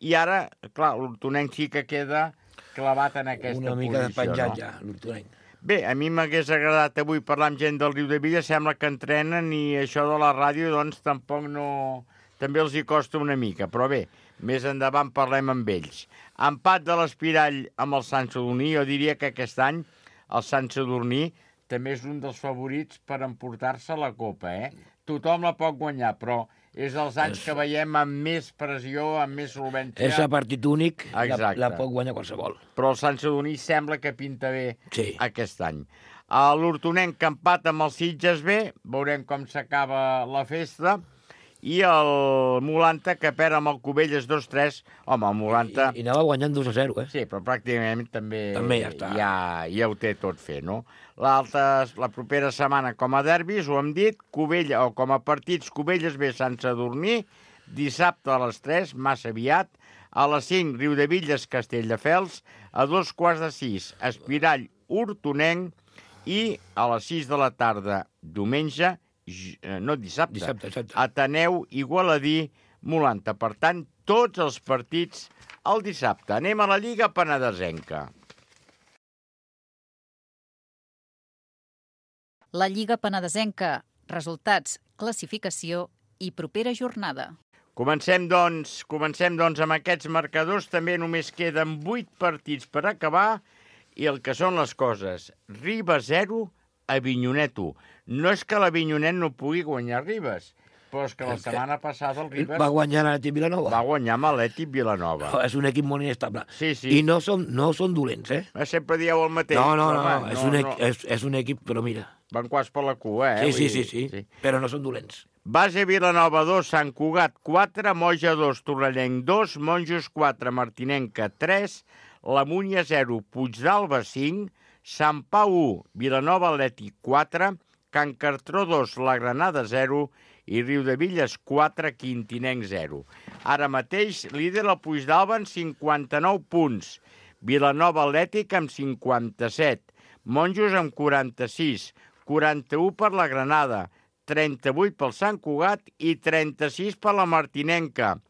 I ara, clar, l'Hortonenc sí que queda clavat en aquesta posició. Una mica de penjat ja, l'Hortonenc. Bé, a mi m'hagués agradat avui parlar amb gent del Riudevilles, sembla que entrenen i això de la ràdio, doncs, tampoc no... També els hi costa una mica, però bé, més endavant parlem amb ells. Empat de l'Espirall amb el Sant Sadurní, jo diria que aquest any el Sant Sadurní també és un dels favorits per emportar-se la Copa, Tothom la pot guanyar, però és els anys que veiem amb més pressió, amb més solvència. És a partit únic, la pot guanyar qualsevol. Però el Sant Sadurní sembla que pinta bé aquest any. L'Hortonenc empat amb el Sitges B, veurem com s'acaba la festa, i el Molanta que perd amb el Cubelles 2-3. Home, el Molanta... I anava guanyant 2-0, Sí, però pràcticament també ja està. Ja ho té tot fet, no? La propera setmana com a derbis, ho hem dit, Cubella, o com a partits, Cubelles B, Sant Sadurní, dissabte a les 3, massa aviat, a les 5, Riudevilles, Castelldefels, a 5:15, Espirall, Hortonenc, i a les 6 de la tarda, diumenge, no dissabte, Ateneu, Igualadí, Molanta. Per tant, tots els partits el dissabte. Anem a la Lliga Penedesenca. La Lliga Penedesenca, resultats, classificació i propera jornada. Comencem, doncs, amb aquests marcadors. També només queden 8 partits per acabar i el que són les coses. Ribes 0, Avinyonet 1. No és que l'Avinyonet no pugui guanyar Ribes, però és que la setmana passada el Ribes... Va guanyar l'Atlètic Vilanova. Va guanyar amb l'Atlètic Vilanova. No, és un equip molt inestable. Sí. I no són dolents, Sempre dieu el mateix. No, és un equip, però mira... Van quasi per la cua, Sí, però no són dolents. Base Vilanova 2, Sant Cugat 4, Moja 2, Torrellenc 2, Monjos 4, Martinenca 3, La Múnia 0, Puigdàlber 5, Sant Pau 1, Vilanova Atlètic 4, Can Cartró 2, la Granada 0 i Riudevilles 4, Quintinenc 0. Ara mateix líder el Puigdàlber amb 59 punts, Vilanova Atlètic amb 57, Monjos amb 46, 41 per la Granada, 38 pel Sant Cugat i 36 per la Martinenca,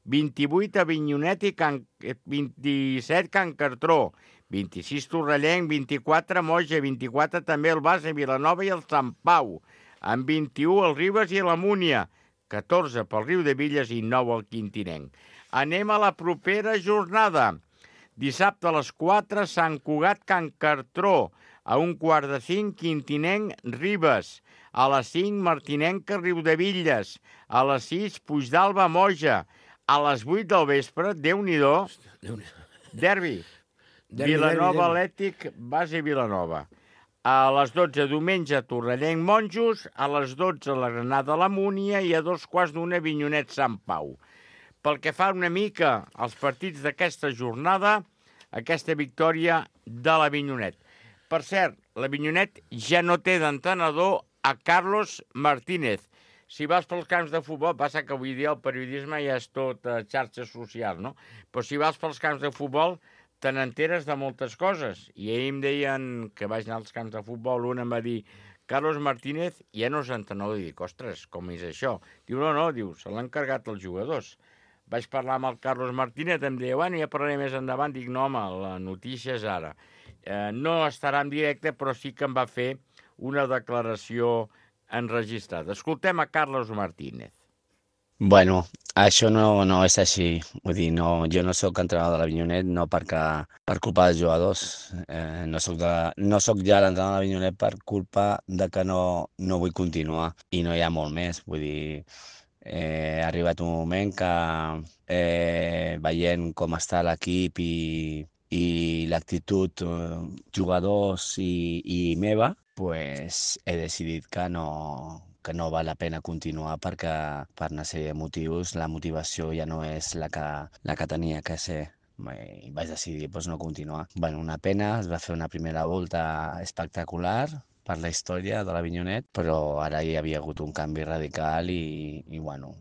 28 Avinyonet i 27 Can Cartró, 26 Torrellenc, 24 Moja, 24 també el Base, Vilanova i el Sant Pau, amb 21 el Ribes i la Múnia, 14 pel Riudevilles i 9 el Quintinenc. Anem a la propera jornada. Dissabte a les 4, Sant Cugat, Can Cartró, a 4:45, Quintinenc, Ribes, a les 5, Martinenca, Riudevilles, a les 6, Puigdàlber, Moja, a les 8 del vespre, Déu-n'hi-do, derbi, Vilanova Atlètic, Base Vilanova. A les 12, diumenge, Torrellenc, Monjos, a les 12, la Granada, la Múnia i a 2:15, Avinyonet, Sant Pau. Pel que fa una mica als partits d'aquesta jornada, aquesta victòria de l'Avinyonet. Per cert, l'Avinyonet ja no té d'entrenador a Carlos Martínez. Si vas pels camps de futbol, passa que avui dia el periodisme ja és tot xarxes socials, no? Però si vas pels camps de futbol, te n'enteres de moltes coses. I ahir em deien que vaig anar als camps de futbol, un em va dir Carlos Martínez ja no és entrenador. I dic, ostres, com és això? Diu, no, diu, se l'han encarregat els jugadors. Vaig parlar amb el Carlos Martínez, em deia, bueno, ja parlaré més endavant. Dic, no, home, la notícia és ara. No estarà en directe, però sí que em va fer una declaració enregistrada. Escoltem a Carlos Martínez. Bueno, això no és així. Vull dir, jo no sóc entrenador de l'Avinyonet no per culpa dels jugadors. No soc ja l'entrenador de l'Avinyonet per culpa de que no vull continuar. I no hi ha molt més. Vull dir, ha arribat un moment que veient com està l'equip i l'actitud jugadors i meva, pues he decidit que no val la pena continuar perquè per una sèrie de motius la motivació ja no és la que tenia que ser. I vaig decidir no continuar. Bueno, una pena, es va fer una primera volta espectacular per la història de l'Avinyonet, però ara hi havia hagut un canvi radical i bueno,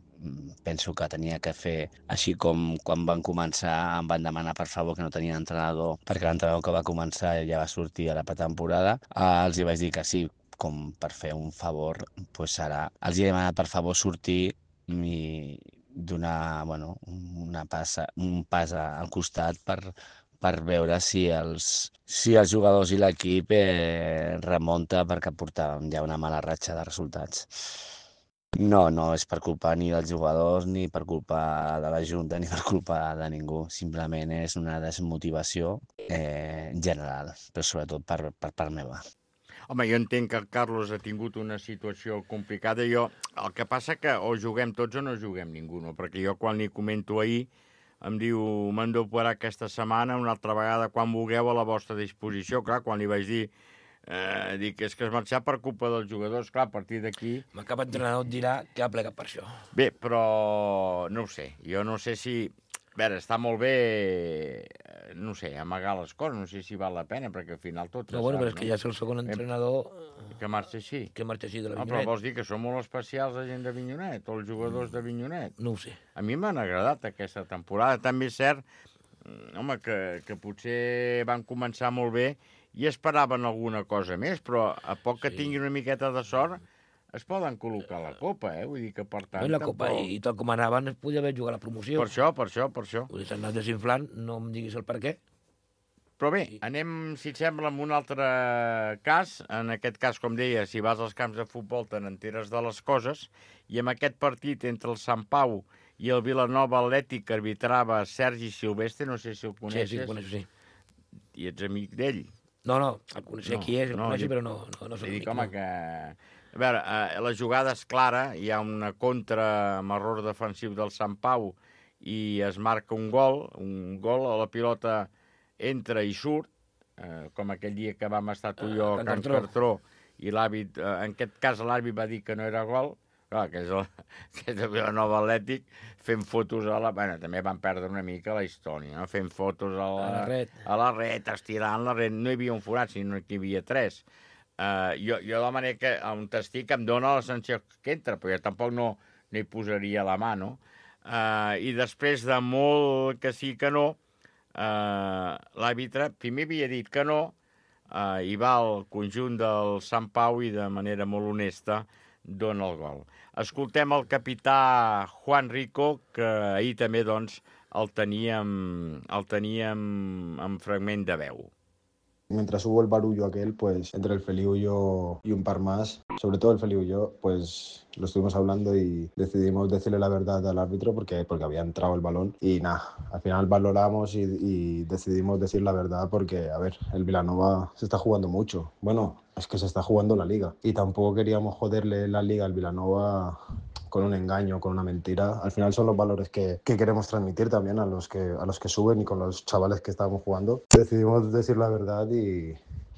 penso que tenia que fer així com quan van començar em van demanar per favor que no tenia entrenador perquè l'entrenador que va començar ja va sortir a la pretemporada. Els hi vaig dir que sí, com per fer un favor, doncs ara els he demanat per favor sortir i donar un pas al costat per veure si els jugadors i l'equip remunta perquè portàvem ja una mala ratxa de resultats. No és per culpa ni dels jugadors, ni per culpa de la Junta, ni per culpa de ningú. Simplement és una desmotivació general, però sobretot per part meva. Home, jo entenc que el Carlos ha tingut una situació complicada. El que passa que o juguem tots o no juguem ningú, no? Perquè jo quan li comento ahir em diu, m'han d'operar aquesta setmana, una altra vegada quan vulgueu a la vostra disposició. Clar, quan li vaig dir, dic, és que has marxat per culpa dels jugadors, clar, a partir d'aquí... Cap entrenador et dirà que ha plegat per això. Bé, però no ho sé, jo no sé si... A veure, està molt bé, no sé, amagar les coses, no sé si val la pena, perquè al final tot No, bueno, però és que ja és el segon entrenador... Que marxa així. Que marxa així de l'Avinyonet. Però vols dir que són molt especials la gent d'Avinyonet, o els jugadors d'Avinyonet? No ho sé. A mi m'han agradat aquesta temporada. També és cert, home, que potser van començar molt bé i esperaven alguna cosa més, però a poc que tinguin una miqueta de sort es poden col·locar la Copa, Vull dir que per tant... La Copa, i tal com anaven, es podia haver jugat la promoció. Per això. Vull dir, s'han anat desinflant, no em diguis el per què. Però bé, anem, si et sembla, amb un altre cas. En aquest cas, com deia, si vas als camps de futbol te n'enteres de les coses, i en aquest partit entre el Sant Pau i el Vilanova Atlètic que arbitrava Sergi Silvestre, no sé si el coneixes. Sí, el coneixo, sí. I ets amic d'ell. No, el coneixia qui és, el coneixo, però no soc amic. Home, que... A veure, la jugada és clara, hi ha una contra amb error defensiu del Sant Pau i es marca un gol, la pilota entra i surt, com aquell dia que vam estar tu i jo a Can Cartró, i l'àrbit, en aquest cas l'àrbit va dir que no era gol, Clar, que és de Vilanova Atlètic, fent fotos a la... Bueno, també van perdre una mica la història, no? Fent fotos a la ret, estirant la ret. No hi havia un forat, sinó que hi havia 3. Jo de la manera que on estic em dóna la sensació que entra, però jo tampoc no hi posaria la mà, no? I després de molt que sí que no, l'àrbitre primer havia dit que no, i va al conjunt del Sant Pau i de manera molt honesta dona el gol. Escoltem el capità Juan Rico, que ahir també doncs, el teníem en fragment de veu. Mientras hubo el barullo aquel, pues entre el Feliu y yo y un par más, sobre todo el Feliu y yo, pues lo estuvimos hablando y decidimos decirle la verdad al árbitro porque había entrado el balón y nada, al final valoramos y decidimos decir la verdad porque, a ver, el Vilanova se está jugando mucho. Bueno, es que se está jugando la liga y tampoco queríamos joderle la liga al Vilanova con un engaño, con una mentira. Al final son los valores que queremos transmitir también a los que suben y con los chavales que estábamos jugando. Decidimos decir la verdad y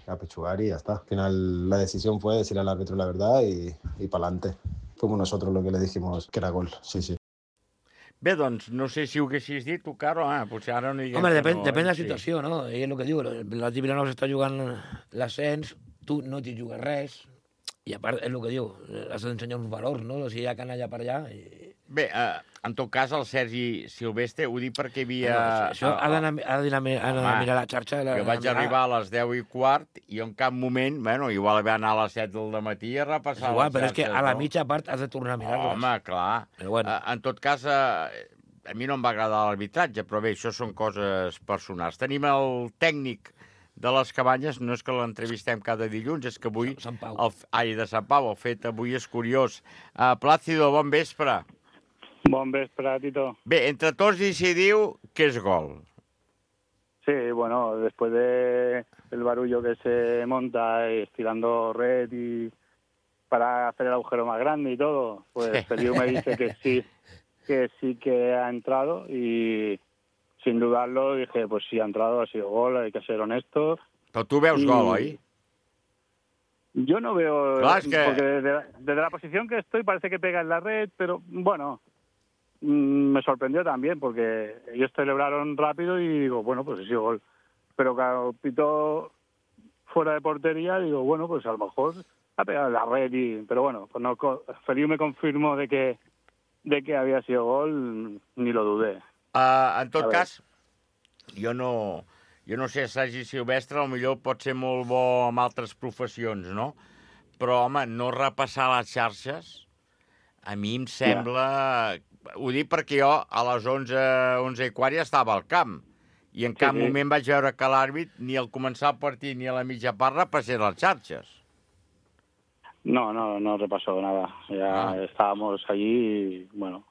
apechugar y ya está. Al final la decisión fue decirle al árbitro la verdad y pa'lante. Fuimos nosotros lo que le dijimos que era gol, sí. Bé, doncs, no sé si ho haguessis dit tu, Caro, potser ara no diguem... Home, depèn de la situació, no? I és el que diu, la Vilanova s'està jugant l'ascens, tu no t'hi jugues res, i a part, és el que diu, has d'ensenyar uns valors, no? O sigui, hi ha canalla per allà... Bé, en tot cas, el Sergi Silvestre, ho dic perquè hi havia... Això ha d'anar a mirar la xarxa. Que vaig arribar a les 10:15 i en cap moment, bueno, igual va anar a les 7 del matí a repassar les xarxes. Però és que a la mitja part has de tornar a mirar-les. Home, clar. En tot cas, a mi no em va agradar l'arbitratge, però bé, això són coses personals. Tenim el tècnic de les Cabanyes, no és que l'entrevistem cada dilluns, és que avui... de Sant Pau, el fet avui és curiós. Plácido, bon vespre. Bon vespre, Tito. Bé, entre tots decidiu que és gol. Sí, bueno, después del barullo que se monta estirando red y para hacer el agujero más grande y todo, pues Feliu me dice que sí que ha entrado y sin dudarlo dije, pues sí ha entrado, ha sido gol, hay que ser honestos. Però tu veus gol, oi? Yo no veo, claro, es que... porque desde la posición que estoy parece que pega en la red, pero bueno... Me sorprendió también porque ellos celebraron rápido y digo, bueno, pues sí, gol. Pero cuando pitó fuera de portería, digo, bueno, pues a lo mejor ha pegado en la red. Pero bueno, pues no, Feliu me confirmó de que había sido gol, ni lo dudé. En tot cas, jo no sé, Sergi Silvestre, potser pot ser molt bo amb altres professions, no? Però, home, no repassar les xarxes, a mi em sembla... Ho dic perquè jo a les 11:15 ja estava al camp i en cap moment vaig veure que l'àrbit ni al començar el partit ni a la mitja part repassés les xarxes. No repasó nada. Ya estábamos allí y, bueno,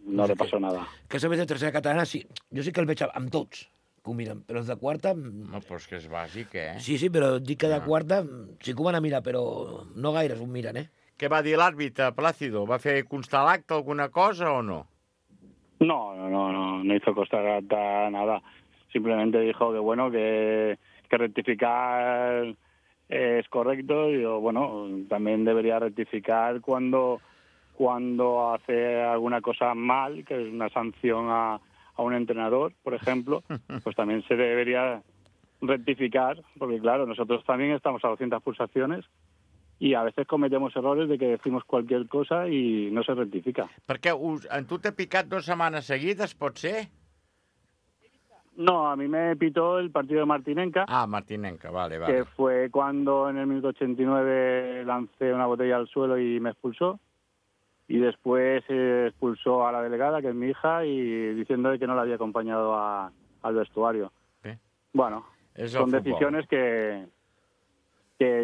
no repasó nada. Que sabes de tercera catalana, sí, jo sí que el veig amb tots, que ho miren, però els de quarta... No, però és que és bàsic, Sí, però dic que de quarta sí que ho van a mirar, però no gaires ho miren, Què va dir l'àrbitre, Plácido? Va fer constar l'acte alguna cosa o no? No hizo constar nada. Simplemente dijo que, bueno, que rectificar es correcto y, bueno, también debería rectificar cuando hace alguna cosa mal, que es una sanción a un entrenador, por ejemplo, pues también se debería rectificar, porque, claro, nosotros también estamos a 200 pulsaciones i a veces cometemos errores de que decimos cualquier cosa i no se rectifica. Perquè en tu t'ha picat 2 setmanes seguides, pot ser? No, a mí me pitó el partido de Martinenca. Martinenca, vale. Que fue cuando en el minuto 89 lancé una botella al suelo y me expulsó. Y después expulsó a la delegada, que es mi hija, y diciendo que no la había acompañado al vestuario. Bueno, son decisiones que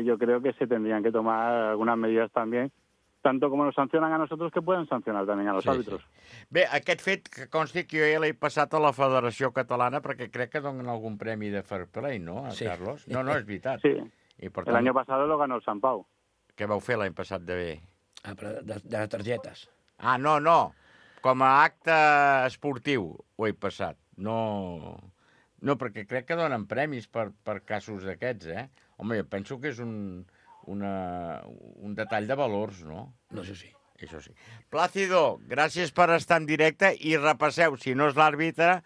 yo creo que se tendrían que tomar algunas medidas también, tanto como nos sancionan a nosotros, que pueden sancionar también a los àrbitres. Bé, aquest fet que consti que jo ja l'he passat a la Federació Catalana perquè crec que donen algun premi de fair play, ¿no, Carlos? No, és veritat. Sí, el año pasado lo ganó el Sant Pau. Què vau fer l'any passat de bé? De les targetes. No, com a acte esportiu ho he passat. No, perquè crec que donen premis per casos d'aquests, Home, jo penso que és un detall de valors, no? No, això sí. això sí. Plàcido, gràcies per estar en directe i repasseu, si no és l'àrbitre,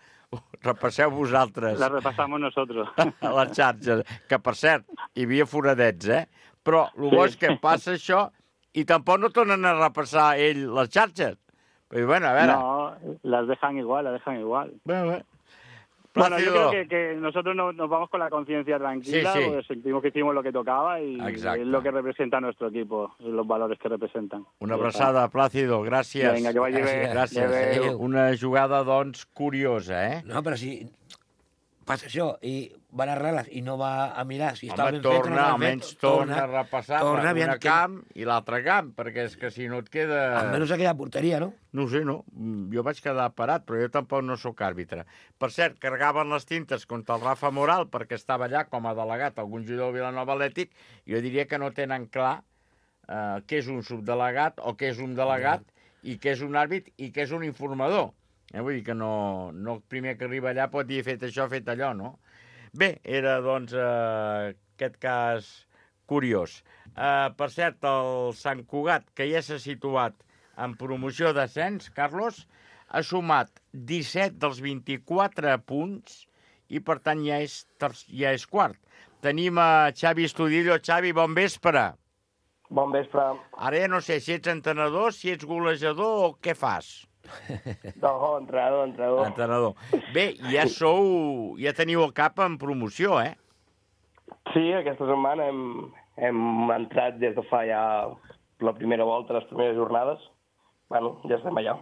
repasseu vosaltres. La repasamos nosotros. A les xarxes, que per cert, hi havia foradets, Però el bo és que passa això i tampoc no tornen a repassar ell les xarxes. Però bueno, a veure... No, las dejan igual. Bueno, Bueno, yo creo que nosotros nos vamos con la conciencia tranquila, Sí. porque sentimos que hicimos lo que tocaba y Exacte. es lo que representa nuestro equipo, los valores que representan. Una abraçada, Plàcido, gràcies. Vinga, que vagi bé. Gràcies. Adéu. Una jugada, doncs, curiosa, No, però si passa això i van a arreglar i no va a mirar si estava Home, ben fet o no torna, estava almenys fet, torna a repassar aviam un camp i l'altre camp, perquè és que si no et queda... Almenys ha quedat porteria, no? No ho sé, no. Jo vaig quedar parat, però jo tampoc no sóc àrbitre. Per cert, carregaven les tintes contra el Rafa Moral perquè estava allà com a delegat algun jugador del Vilanova Atlètic. Jo diria que no tenen clar què és un subdelegat o què és un delegat i què és un àrbit i què és un informador. Vull dir que no el primer que arriba allà pot dir fet això, fet allò, no? Bé, era, doncs, aquest cas curiós. Per cert, el Sant Cugat, que ja s'ha situat en promoció d'ascens, Carlos, ha sumat 17 dels 24 punts i, per tant, ja és quart. Tenim a Xavi Estudillo. Xavi, bon vespre. Bon vespre. Ara ja no sé si ets entrenador, si ets golejador o què fas. No, entrenador. Entrenador. Bé, ja teniu el cap en promoció, Sí, aquesta setmana hem entrat des de fa ja la primera volta, les primeres jornades. Bueno, ja estem allà.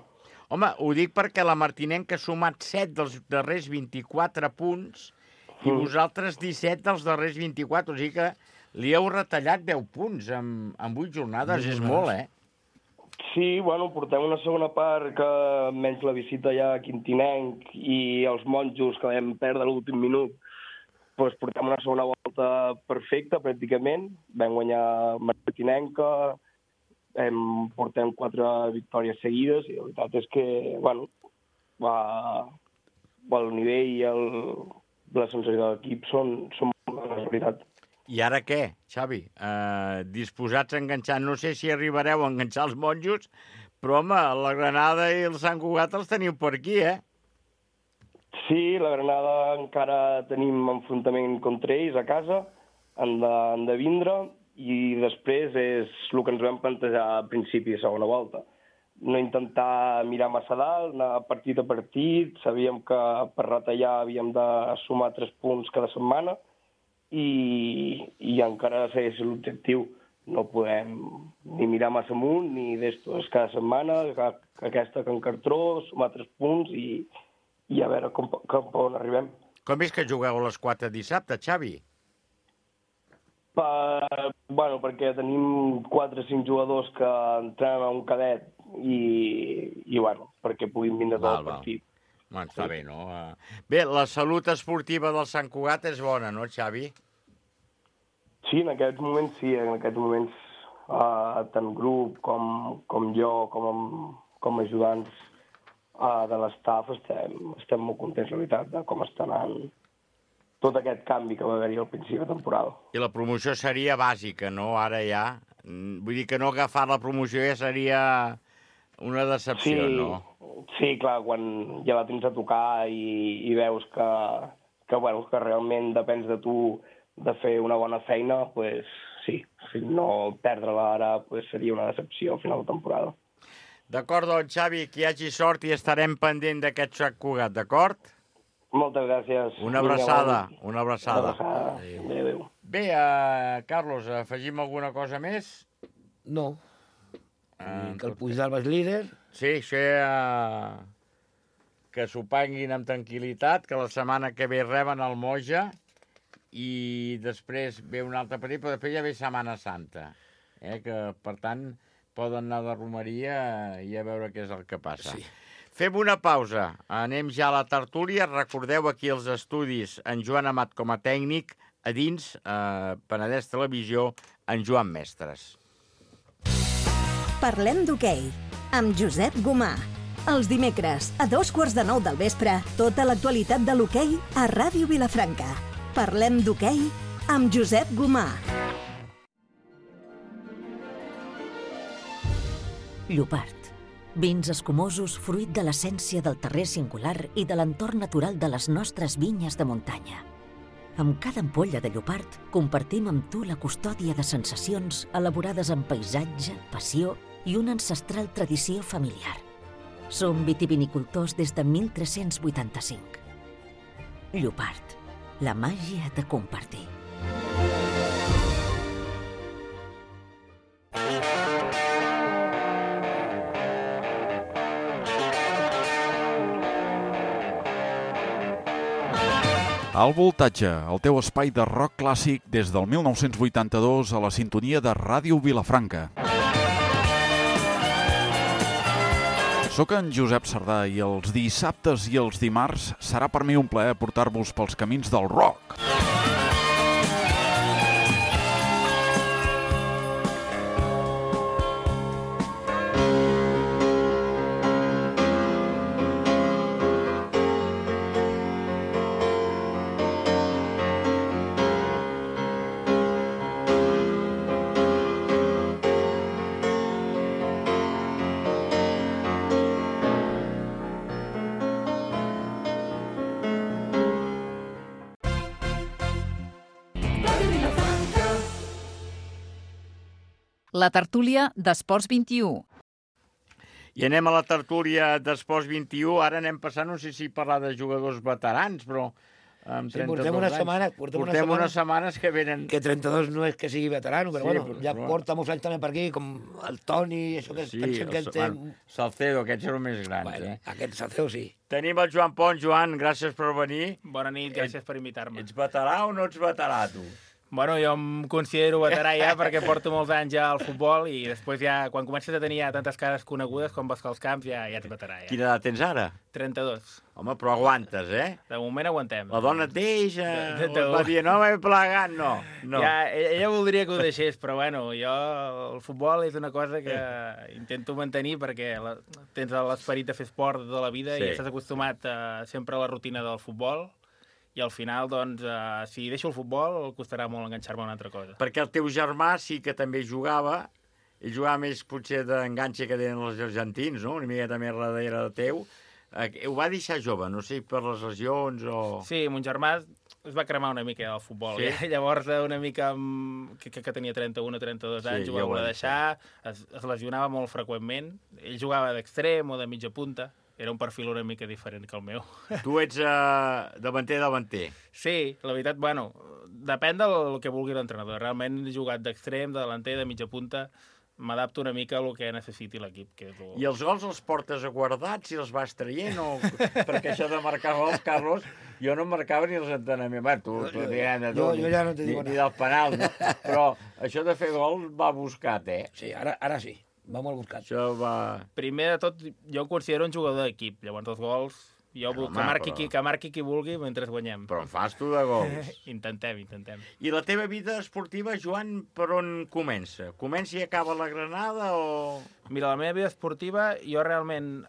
Home, ho dic perquè la Martinenca ha sumat 7 dels darrers 24 punts i vosaltres 17 dels darrers 24, o sigui que li heu retallat 10 punts en 8 jornades, és molt, Sí, bueno, portem una segona part que menys la visita ja a Quintinenc i els monjos que vam perdre a l'últim minut, doncs portem una segona volta perfecta, pràcticament. Vam guanyar Martinenca, portem 4 victòries seguides i la veritat és que, bueno, el nivell i la sensació de l'equip són la veritat. I ara què, Xavi? Disposats a enganxar? No sé si arribareu a enganxar els monjos, però, home, la Granada i el Sant Cugat els teniu per aquí, Sí, la Granada encara tenim enfrontament contra ells a casa, han de vindre, i després és el que ens vam plantejar a principi de segona volta. No intentar mirar massa dalt, anar partit a partit, sabíem que per retallar havíem de sumar 3 punts cada setmana, i encara segueix l'objectiu. No podem ni mirar massa amunt ni d'esto. És cada setmana, aquesta Can Cartró, sumar 3 punts i a veure cap on arribem. Com és que jugueu a les 4 dissabte, Xavi? Bueno, perquè tenim 4 o 5 jugadors que entrenen a un cadet i bueno, perquè puguin vindre tot el partit. Bueno, està bé, no? Bé, la salut esportiva del Sant Cugat és bona, no, Xavi? Sí, en aquests moments sí. En aquests moments tant grup com jo, com ajudants de l'estaf, estem molt contents, la veritat, de com està anant tot aquest canvi que va haver-hi al principi de temporada. I la promoció seria bàsica, no? Ara ja... Vull dir que no agafar la promoció ja seria una decepció, no? Sí, clar, quan ja la tens a tocar i veus que realment depens de tu de fer una bona feina, doncs sí, si no perdre-la ara seria una decepció al final de temporada. D'acord, doncs, Xavi, que hi hagi sort i estarem pendent d'aquest Sant Cugat, d'acord? Moltes gràcies. Una abraçada, una abraçada. Adéu. Bé, Carlos, afegim alguna cosa més? No. Que el Puigdàlber és líder. Sí, això que s'ho panguin amb tranquil·litat, que la setmana que ve reben el Moja i després ve un altre partit, però després ja ve Setmana Santa, que, per tant, poden anar de romeria i a veure què és el que passa. Sí. Fem una pausa, anem ja a la tertúlia. Recordeu aquí els estudis en Joan Amat com a tècnic, a dins Penedès Televisió, en Joan Mestres. Parlem d'hoquei, amb Josep Gomà. Els dimecres, a 8:45 del vespre, tota l'actualitat de l'hoquei a Ràdio Vilafranca. Parlem d'hoquei amb Josep Gomà. Llopart. Vins escumosos fruit de l'essència del terrer singular i de l'entorn natural de les nostres vinyes de muntanya. Amb cada ampolla de Llopart compartim amb tu la custòdia de sensacions elaborades amb paisatge, passió i una ancestral tradició familiar. Som vitivinicultors des de 1385. Llopart, la màgia de compartir. Al Voltatge, el teu espai de rock clàssic des del 1982 a la sintonia de Ràdio Vilafranca. Soc en Josep Sardà i els dissabtes i els dimarts serà per mi un plaer portar-vos pels camins del rock. La tertúlia d'Esports 21. I anem a la tertúlia d'Esports 21. Ara anem passant, no sé si parlar de jugadors veterans, però amb 32 portem unes anys. setmanes, Portem unes setmanes que venen... Que 32 no és que sigui veterano, però Sí, bueno, ja però- porta molts anys també per aquí, com el Toni, això que pensem que té... Salcedo, aquests eren més grans, Bueno, eh? aquest Salcedo sí. Tenim el Joan Pont. Joan, gràcies per venir. Bona nit, gràcies per invitar-me. Ets veterà o no ets veterà, tu? Bueno, jo em considero veterà ja perquè porto molts anys ja al futbol i després ja, quan comences a tenir ja tantes cares conegudes com vas als camps, ja ets veterà. Ja. Quina edat tens ara? 32. Home, però aguantes, eh? De moment aguantem. La dona et deixa, De- o et va dir, no m'he plegat, no. Ja, ella voldria que ho deixés, però bueno, jo el futbol és una cosa que intento mantenir perquè tens l'esperit de fer esport de tota la vida Sí. i estàs acostumat sempre a la rutina del futbol i al final, doncs, si deixo el futbol, costarà molt enganxar-me a una altra cosa. Perquè el teu germà sí que també jugava, ell jugava més potser d'enganxe que tenen els argentins, no? Una miqueta més darrere teu. Ho va deixar jove, no sé, per les lesions o... Sí, mon germà es va cremar una mica del futbol. Sí? Llavors, una mica, que tenia 31 o 32 anys, Sí, ho va ja ho voler ha deixar, es lesionava molt freqüentment. Ell jugava d'extrem o de mitja punta. Era un perfil una mica diferent que el meu. Tu ets davanter. Sí, la veritat, bueno, depèn del que vulgui l'entrenador. Realment he jugat d'extrem, de delanter, de mitja punta. M'adapto una mica al que necessiti l'equip. I els gols els portes a guardats i els vas traient? O... Perquè això de marcar gols, Carlos, jo no marcava ni els entrenaments. Bé, tu Jo ja no te digo ni del penal, no? Però això de fer gol va buscat, eh? Sí, ara sí. Va molt buscat. Això va... Primer de tot, jo em considero un jugador d'equip. Llavors els gols, jo vull que marqui qui vulgui mentre guanyem. Però en fas tu de gols. Intentem. I la teva vida esportiva, Joan, per on comença? Comença i acaba la Granada o...? Mira, la meva vida esportiva, jo realment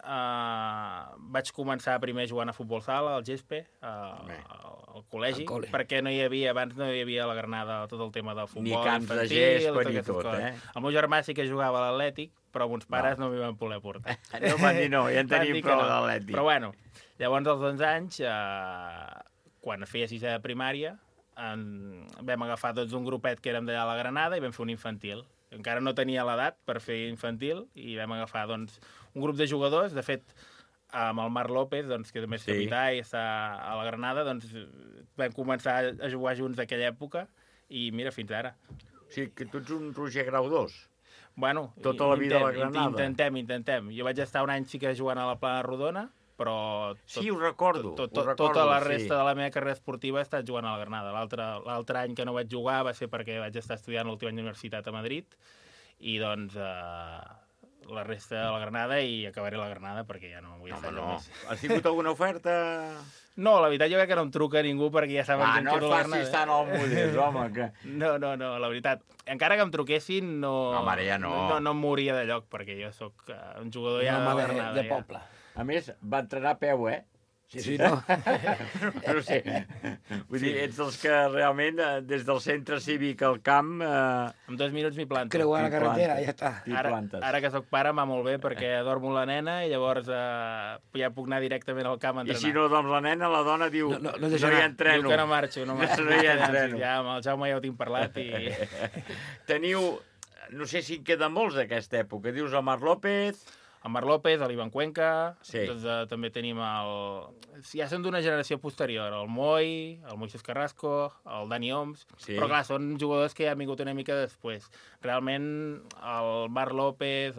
vaig començar primer jugant a futbol sala, al Gespe, al col·legi, perquè abans no hi havia a la Granada tot el tema del futbol Ni camps de infantil, gespa ni aquestes tot, coses. eh? El meu germà sí que jugava a l'Atlètic, però mons pares no m'hi van poder portar. No van dir no, ja en tenim Van dir que prou no. de l'Atlètic. Però bueno, llavors als 11 anys, quan feia sisè de primària, vam agafar un grupet que érem d'allà a la Granada i vam fer un infantil. Encara no tenia l'edat per fer infantil i vam agafar un grup de jugadors. De fet, amb el Marc López, que també és capità i està a la Granada, vam començar a jugar junts d'aquella època i mira, fins ara. O sigui, que tu ets un Roger Grau 2. Bueno, Tota la vida a la Granada. Intentem. Jo vaig estar un any sí que jugant a la Plana Rodona, però... Sí, ho recordo. Tota la resta de la meva carrera esportiva he estat jugant a la Granada. L'altre any que no vaig jugar va ser perquè vaig estar estudiant l'últim any d'universitat a Madrid i doncs la resta de la Granada i acabaré la Granada perquè ja no vull estar allà més. Has tingut alguna oferta? No, la veritat jo crec que no em truca ningú perquè ja saben que em quedo a la Granada. No et facis tant al modest, home. Que... No, la veritat. Encara que em truquessin, no... Home, ara ja no. No em mouria de lloc perquè jo sóc un jugador ja de la Granada. De poble. A més, va entrenar a peu, eh? Sí, no? No sé. Vull dir, ets dels que realment, des del centre cívic al camp... En 2 minuts m'hi planto. Creuar la carretera, ja està. Ara que soc pare em va molt bé perquè dormo la nena i llavors ja puc anar directament al camp a entrenar. I si no dorms la nena, la dona diu no hi entreno. Diu que no marxo. No hi entreno. Ja amb el Jaume ja ho tinc parlat i... Teniu, no sé si en queden molts d'aquesta època. Dius el Marc López... El Marc López, l'Ivan Cuenca, sí. Doncs, també tenim ja són d'una generació posterior, el Moi, el Moisés Carrasco, el Dani Oms, sí. Però clar, són jugadors que ja han vingut una mica després. Realment, el Marc López,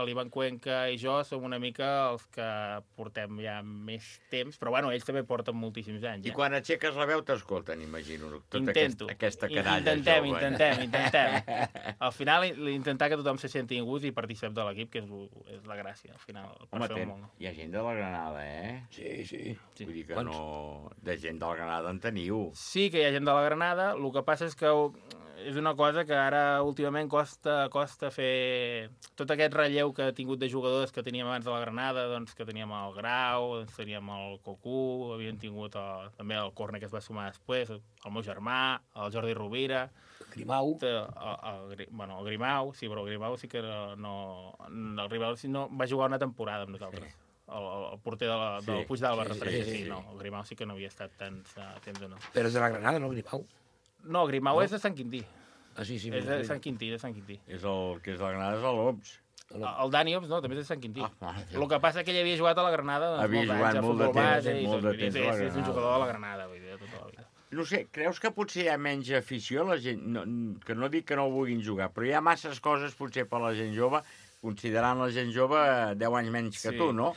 l'Ivan Cuenca i jo som una mica els que portem ja més temps, però bueno, ells també porten moltíssims anys. I quan aixeques la veu t'escolten, imagino, tota aquesta canalla Intentem. Al final, intentar que tothom se senti a gust i participem de l'equip, que és la gràcia, al final. Home, hi ha gent de la Granada, eh? Sí. Vull dir que no... De gent de la Granada en teniu. Sí que hi ha gent de la Granada, el que passa és que és una cosa que ara últimament costa fer... Tot aquest relleu que ha tingut de jugadors que teníem abans de la Granada, doncs que teníem el Grau, teníem el Cocú, havien tingut també el Corne que es va sumar després, el meu germà, el Jordi Rovira... Grimau. El Grimau, sí, però el Grimau sí que no... El Grimau no, va jugar una temporada amb nosaltres. El porter del Puig d'Alba, sí. No, el Grimau sí que no havia estat tant temps o no. Però és de la Granada, no, Grimau? No, el Grimau és de Sant Quintí. Ah, sí. És de Sant Quintí. És el que és de la Granada, és l'Oms. El Dani Oms, no, també és de Sant Quintí. El que passa és que ell havia jugat a la Granada havia jugat molt de temps a la Granada. És un jugador de la Granada, vull dir, tota la vida. No sé, creus que potser hi ha menys afició a la gent? Que no dic que no vulguin jugar, però hi ha masses coses potser per la gent jove, considerant la gent jove 10 anys menys que tu, no?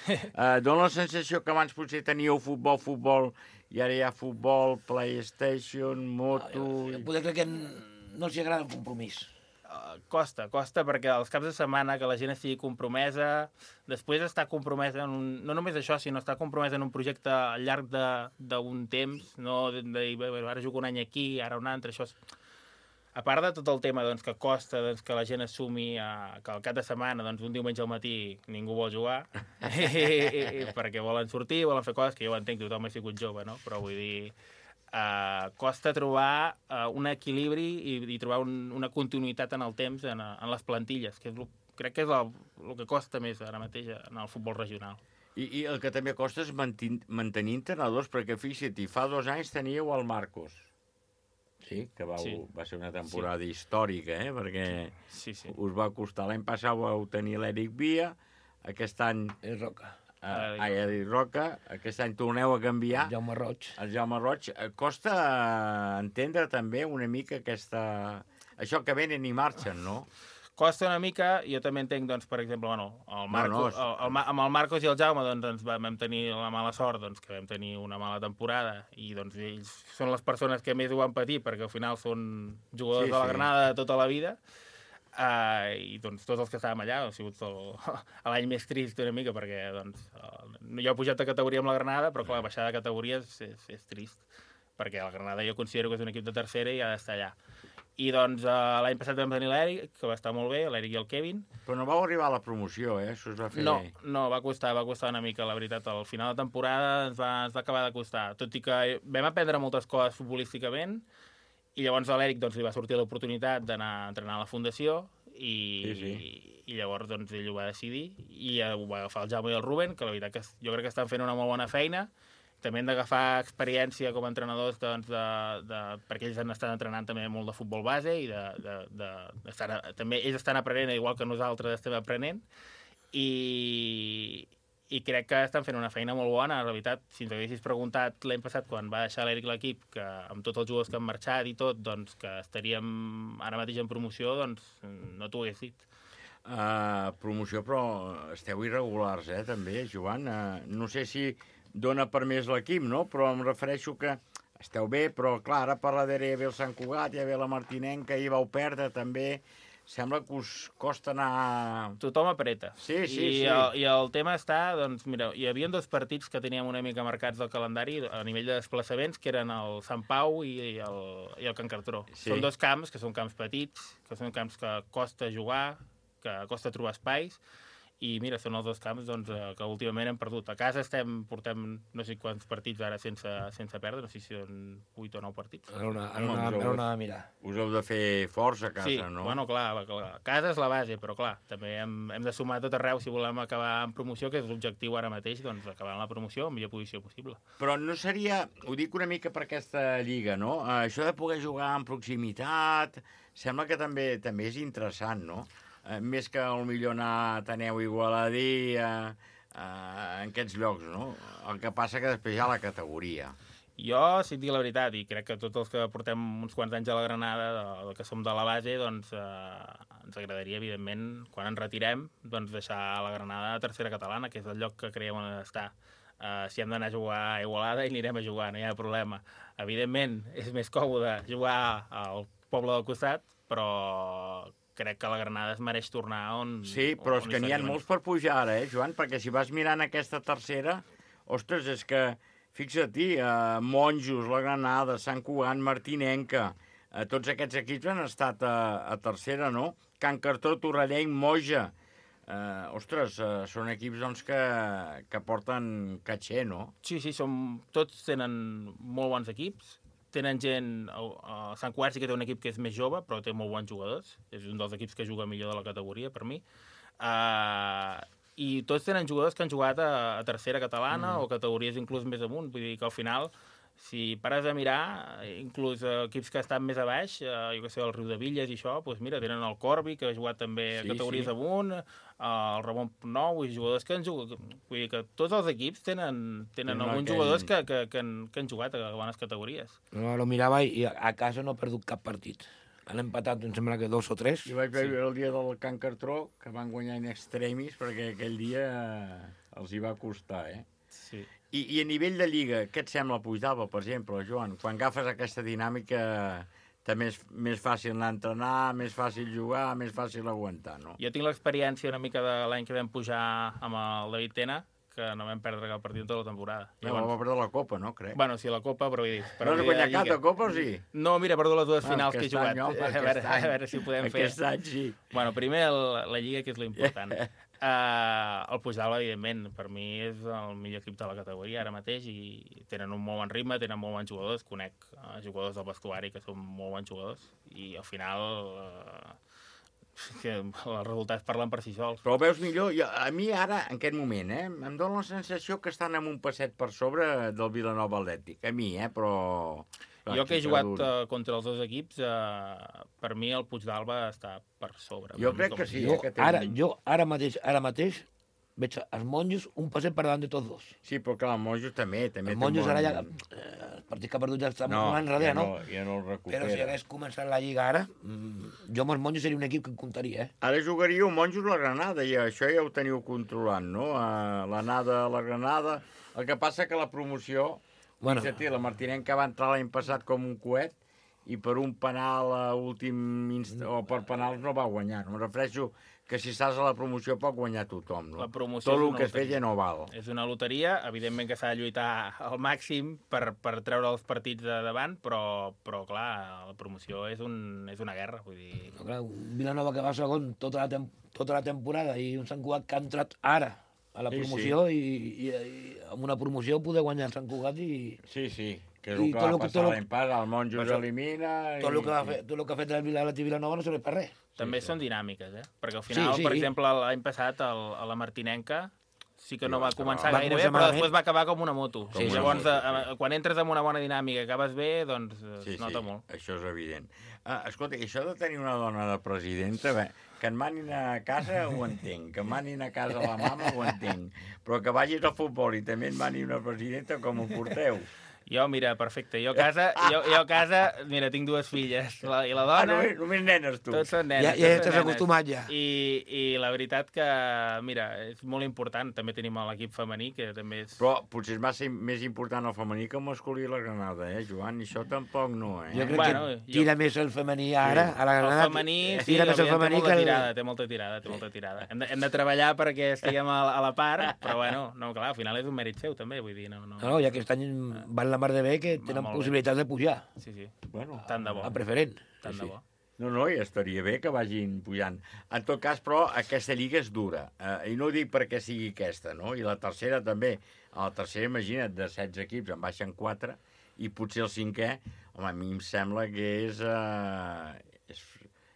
Dóna la sensació que abans potser teníeu futbol, i ara hi ha futbol, PlayStation, moto... Poder crec que no els agrada el compromís. Costa, perquè els caps de setmana que la gent estigui compromesa, després estar compromesa no només això, sinó estar compromesa en un projecte al llarg d'un temps, no de dir, ara jugo un any aquí, ara un altre, això... A part de tot el tema doncs, que costa que la gent assumi que al cap de setmana, doncs, un diumenge al matí, ningú vol jugar, perquè volen sortir, volen fer coses que jo entenc que tothom ha sigut jove, no? Però vull dir... costa trobar un equilibri i trobar una continuïtat en el temps en les plantilles, que crec que és el que costa més ara mateix en el futbol regional. I el que també costa és mantenir entrenadors, perquè fixa't, fa 2 anys teníeu el Marcos, sí, que va ser una temporada històrica, perquè us va costar. L'any passat vau tenir l'Eric Via, aquest any... El Roca. Eric Roca, aquest any torneu a canviar. El Jaume Roig. Costa entendre també una mica això que venen i marxen, no? Costa una mica, jo també entenc, doncs, per exemple, amb el Marcos i el Jaume doncs, vam tenir la mala sort que vam tenir una mala temporada i doncs, ells són les persones que més ho van patir perquè al final són jugadors de la Granada de tota la vida. I doncs tots els que estàvem allà ha sigut l'any més trist una mica perquè doncs, jo he pujat de categoria amb la Granada, però clar, baixar de categoria és trist perquè la Granada jo considero que és un equip de tercera i ha d'estar allà. I doncs l'any passat vam tenir l'Eric, que va estar molt bé, l'Eric i el Kevin. Però no vau arribar a la promoció, això es va fer... No, va costar una mica, la veritat. Al final de temporada ens va acabar de costar, tot i que vam aprendre moltes coses futbolísticament. I llavors a l'Eric li va sortir l'oportunitat d'anar a entrenar a la Fundació i llavors ell ho va decidir i ho va agafar el Jaume i el Ruben, que la veritat que jo crec que estan fent una molt bona feina. També hem d'agafar experiència com a entrenadors perquè ells han estat entrenant també molt de futbol base i també ells estan aprenent igual que nosaltres estem aprenent i crec que estan fent una feina molt bona. En realitat, si ens haguessis preguntat l'any passat, quan va deixar l'Eric l'equip, que amb tots els jugadors que han marxat i tot, doncs que estaríem ara mateix en promoció, doncs no t'ho hagués dit. Promoció, però esteu irregulars, també, Joan. No sé si dona per més l'equip, no? Però em refereixo que esteu bé, però clar, ara per la darrere hi ha el Sant Cugat, hi ha la Martinenca, ahir vau perdre també... Sembla que us costa anar... Tothom apreta. Sí. I el tema està, doncs, mira, hi havia 2 partits que teníem una mica marcats del calendari a nivell de desplaçaments, que eren el Sant Pau i el Can Cartró. Sí. Són 2 camps, que són camps petits, que són camps que costa jugar, que costa trobar espais, i mira, són els dos camps doncs, que últimament hem perdut. A casa portem no sé quants partits ara sense perdre, no sé si són 8 o 9 partits. Ara una de mirar. Us heu de fer força a casa, sí, no? Bueno, clar, casa és la base, però clar, també hem de sumar tot arreu si volem acabar en promoció, que és l'objectiu ara mateix, doncs acabar en la promoció en millor posició possible. Però no seria, ho dic una mica per aquesta lliga, no? Això de poder jugar en proximitat, sembla que també és interessant, no? Més que millor anar a Ateneu Igualadí en aquests llocs, no? El que passa que després hi ha la categoria. Jo, si et dic la veritat, i crec que tots els que portem uns quants anys a la Granada, que som de la base, doncs ens agradaria, evidentment, quan ens retirem, doncs deixar la Granada a tercera catalana, que és el lloc que creiem on ha d'estar. Si hem d'anar a jugar a Igualada, hi anirem a jugar, no hi ha problema. Evidentment, és més còmode jugar al poble del costat, però crec que la Granada es mereix tornar on... Sí, però és que n'hi ha molts per pujar ara, Joan? Perquè si vas mirant aquesta tercera, ostres, és que, fixa-t'hi, Monjos, la Granada, Sant Cugat, Martinenca, tots aquests equips han estat a tercera, no? Can Cartró, Torrellenc, Moja. Ostres, són equips doncs, que porten caché, no? Sí, tots tenen molt bons equips. Tenen gent... Sant Cugat sí que té un equip que és més jove, però té molt bons jugadors. És un dels equips que juga millor de la categoria, per mi. I tots tenen jugadors que han jugat a tercera catalana o categories inclús més amunt. Vull dir que al final, si pares a mirar, inclús equips que estan més a baix, jo què sé, el Riu de Villes i això, doncs mira, tenen el Corbi, que ha jugat també a categories amunt, el Ramon Nou, i jugadors que han jugat... Vull dir que tots els equips tenen alguns jugadors que han jugat a bones categories. No, lo mirava i a casa no ha perdut cap partit. Han empatat, em sembla que 2 o 3. Jo vaig veure el dia del Can Cartró, que van guanyar in extremis, perquè aquell dia els hi va costar, Sí. I a nivell de lliga, què et sembla Puigdàlber, per exemple, Joan? Quan agafes aquesta dinàmica, també és més fàcil anar a entrenar, més fàcil jugar, més fàcil aguantar, no? Jo tinc l'experiència una mica de l'any que vam pujar amb el David Tena, que no vam perdre cap partit tota la temporada. Llavors... va perdre la Copa, no, crec? Bueno, sí, la Copa, però vull dir... No has guanyat cap de Copa, o sí? No, mira, he perdut les dues finals que he jugat. A veure si ho podem fer. Aquest any, sí. Bueno, primer la Lliga, que és l'important. El Puigdàlber, evidentment, per mi és el millor equip de la categoria ara mateix i tenen un molt bon ritme, tenen molt bons jugadors, conec jugadors del vestuari que són molt bons jugadors i al final que els resultats parlen per si sols. Però ho veus millor? A mi ara, en aquest moment, em dóna la sensació que estan amb un passet per sobre del Vilanova Atlètic. A mi, però... Jo que he jugat contra els dos equips, per mi el Puigdàlber està per sobre. Jo crec que sí. Jo ara mateix veig els Monjos un passet per davant de tots dos. Sí, però clar, els Monjos també. Els Monjos ara ja... Els partits que ha perdut ja estan molt enrere, no? Ja no el recupera. Però si hagués començat la Lliga ara, jo amb els Monjos seria un equip que em comptaria, Ara jugaríeu Monjos la Granada, i això ja ho teniu controlant, no? L'anada a la Granada. El que passa que la promoció... Bueno. La Martinenca va entrar l'any passat com un coet i per un penal a últim o per penals no va guanyar. No em refereixo que si estàs a la promoció pot guanyar tothom. No? Tot el que es feia no val. És una loteria, evidentment que s'ha de lluitar al màxim per treure els partits de davant, però clar, la promoció és una guerra. Vull dir... No, clar, un Vilanova que va segon tota la temporada i un Sant Cugat que ha entrat ara a la promoció i amb una promoció poder guanyar el Sant Cugat i... Sí, que és el que va passar l'any passat, el Monjos elimina... Tot el que ha fet el Vilanova no serveix per res. També són dinàmiques, perquè al final, per exemple, l'any passat a la Martinenca sí que no va començar gaire bé, però després va acabar com una moto. Llavors, quan entres en una bona dinàmica i acabes bé, doncs es nota molt. Això és evident. Escolta, això de tenir una dona de presidenta, que en manin a casa ho entenc, que manin a casa la mama ho entenc, però que vagis al futbol i també en mani una presidenta, com ho porteu? Jo, mira, perfecte. Jo a casa, mira, tinc dues filles. I la dona... Només nenes, tu. Tots són nenes. Ja t'has acostumat, ja. I la veritat que, mira, és molt important. També tenim l'equip femení, que també és... Però potser és més important el femení que el masculí a la Granada, Joan? I això tampoc no, Jo crec que tira més el femení ara, a la Granada. El femení, sí, té molta tirada. Hem de treballar perquè estiguem a la part, però bueno, no, clar, al final és un mèrit seu, també, vull dir, no. No, ja aquest any van la mar de bé que tenen possibilitats de pujar. Sí. Bueno, tant de bo. A preferent. Tant de bo. No, i estaria bé que vagin pujant. En tot cas, però, aquesta lliga és dura. I no ho dic perquè sigui aquesta, no? I la tercera també. A la tercera, imagina't, de 16 equips en baixen 4 i potser el 5è, home, a mi em sembla que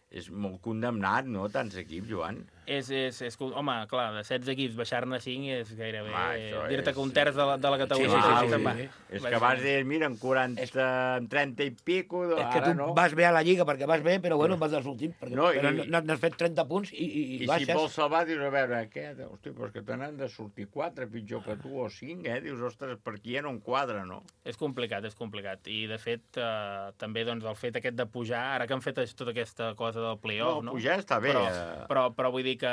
és molt condemnat, no?, tants equips, Joan. Home, clar, de 16 equips baixar-ne 5 és gairebé dir-te és... que un terç de la categoria. Sí. És que abans deies, mira, en 30 i pico... És que tu vas bé a la Lliga perquè vas bé, però bueno, vas dels últims. Però n'has fet 30 punts i baixes. I si vols salvar, dius, a veure, què? Hosti, però és que te n'han de sortir 4, pitjor que tu, o 5, Dius, ostres, per aquí ja no enquadra, no? És complicat. I, de fet, també doncs, el fet aquest de pujar, ara que han fet tota aquesta cosa del play-off, no? Pujar està bé. Però vull dir que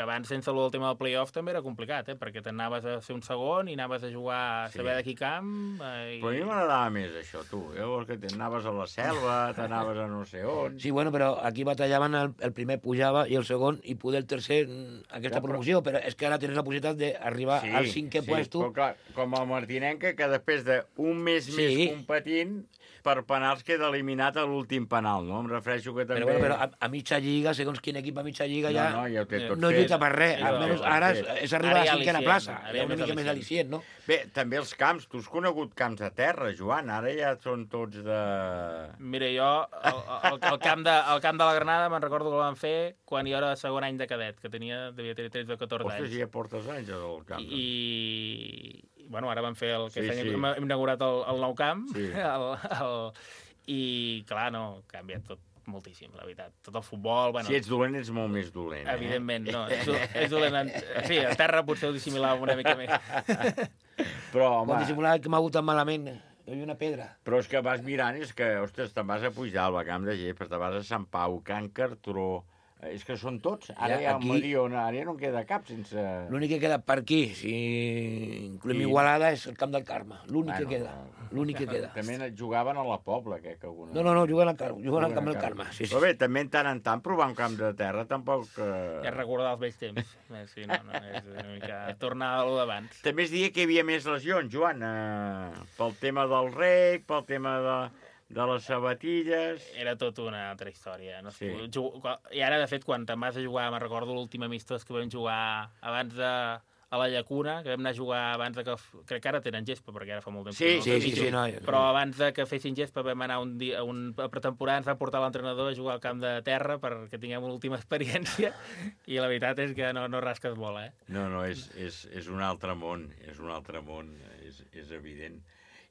abans, sense el tema del play-off, també era complicat, perquè t'anaves a ser un segon i anaves a jugar a saber de qui camp... Però a mi m'agradava més això, tu. Llavors que t'anaves a la selva, t'anaves a no sé on... Sí, bueno, però aquí batallaven, el primer pujava i el segon, i poder el tercer aquesta promoció, però és que ara tens la possibilitat d'arribar al 5è puesto. Però clar, com el Martinenca, que després d'un mes més competint, per penals queda eliminat a l'últim penal, no? Em refereixo que també... Però a mitja lliga, segons quin equip a mitja lliga ja ho té tot no lluita per res. Almenys ara és arribar a la 5a plaça. Hi ha una mica més al·licient, no? Bé, també els camps. Tu has conegut camps de terra, Joan. Ara ja són tots de... Mira, jo el camp de la Granada me'n recordo que el van fer quan jo era de segon any de cadet, que devia tenir 13 o 14 anys. Ostres, ja portes anys al camp. I bueno, ara vam fer hem inaugurat el nou camp, i clar, no, ha canviat tot moltíssim, la veritat. Tot el futbol... Si ets dolent, ets molt més dolent. Evidentment, no. És dolent. Sí, a terra potser ho dissimilava una mica més. Però, home... Quan dissimilava que m'ha hagut tan malament, hi havia una pedra. Però és que vas mirant, és que, ostres, te'n vas a Puigdàlber, Camp de Llebre, te'n vas a Sant Pau, Can Cartró... És que són tots. Ara ja al Mediona, ara ja no en queda cap sense... L'únic que queda per aquí, si incloem Igualada, és el Camp del Carme. L'únic que queda. L'únic que queda. També jugaven a la Pobla, que alguna... No, juguen al Camp del Carme. Però bé, també tant en tant provar un camp de terra tampoc... Ja recordar els vells temps. Sí, no, és una mica tornar a lo d'abans. També es deia que hi havia més lesions, Joan, pel tema del rec, pel tema de les sabatilles... Era tot una altra història. No? Sí. I ara, de fet, quan te'n vas a jugar, me'n recordo l'últim amistós que vam jugar abans a la Llacuna, que vam anar a jugar abans de que... Crec que ara tenen gespa, perquè ara fa molt temps. Sí, no. Però abans de que fessin gespa vam anar a una pretemporada, ens va portar l'entrenador a jugar al camp de terra perquè tinguem una última experiència, i la veritat és que no rasques bola, No, és un altre món, és evident.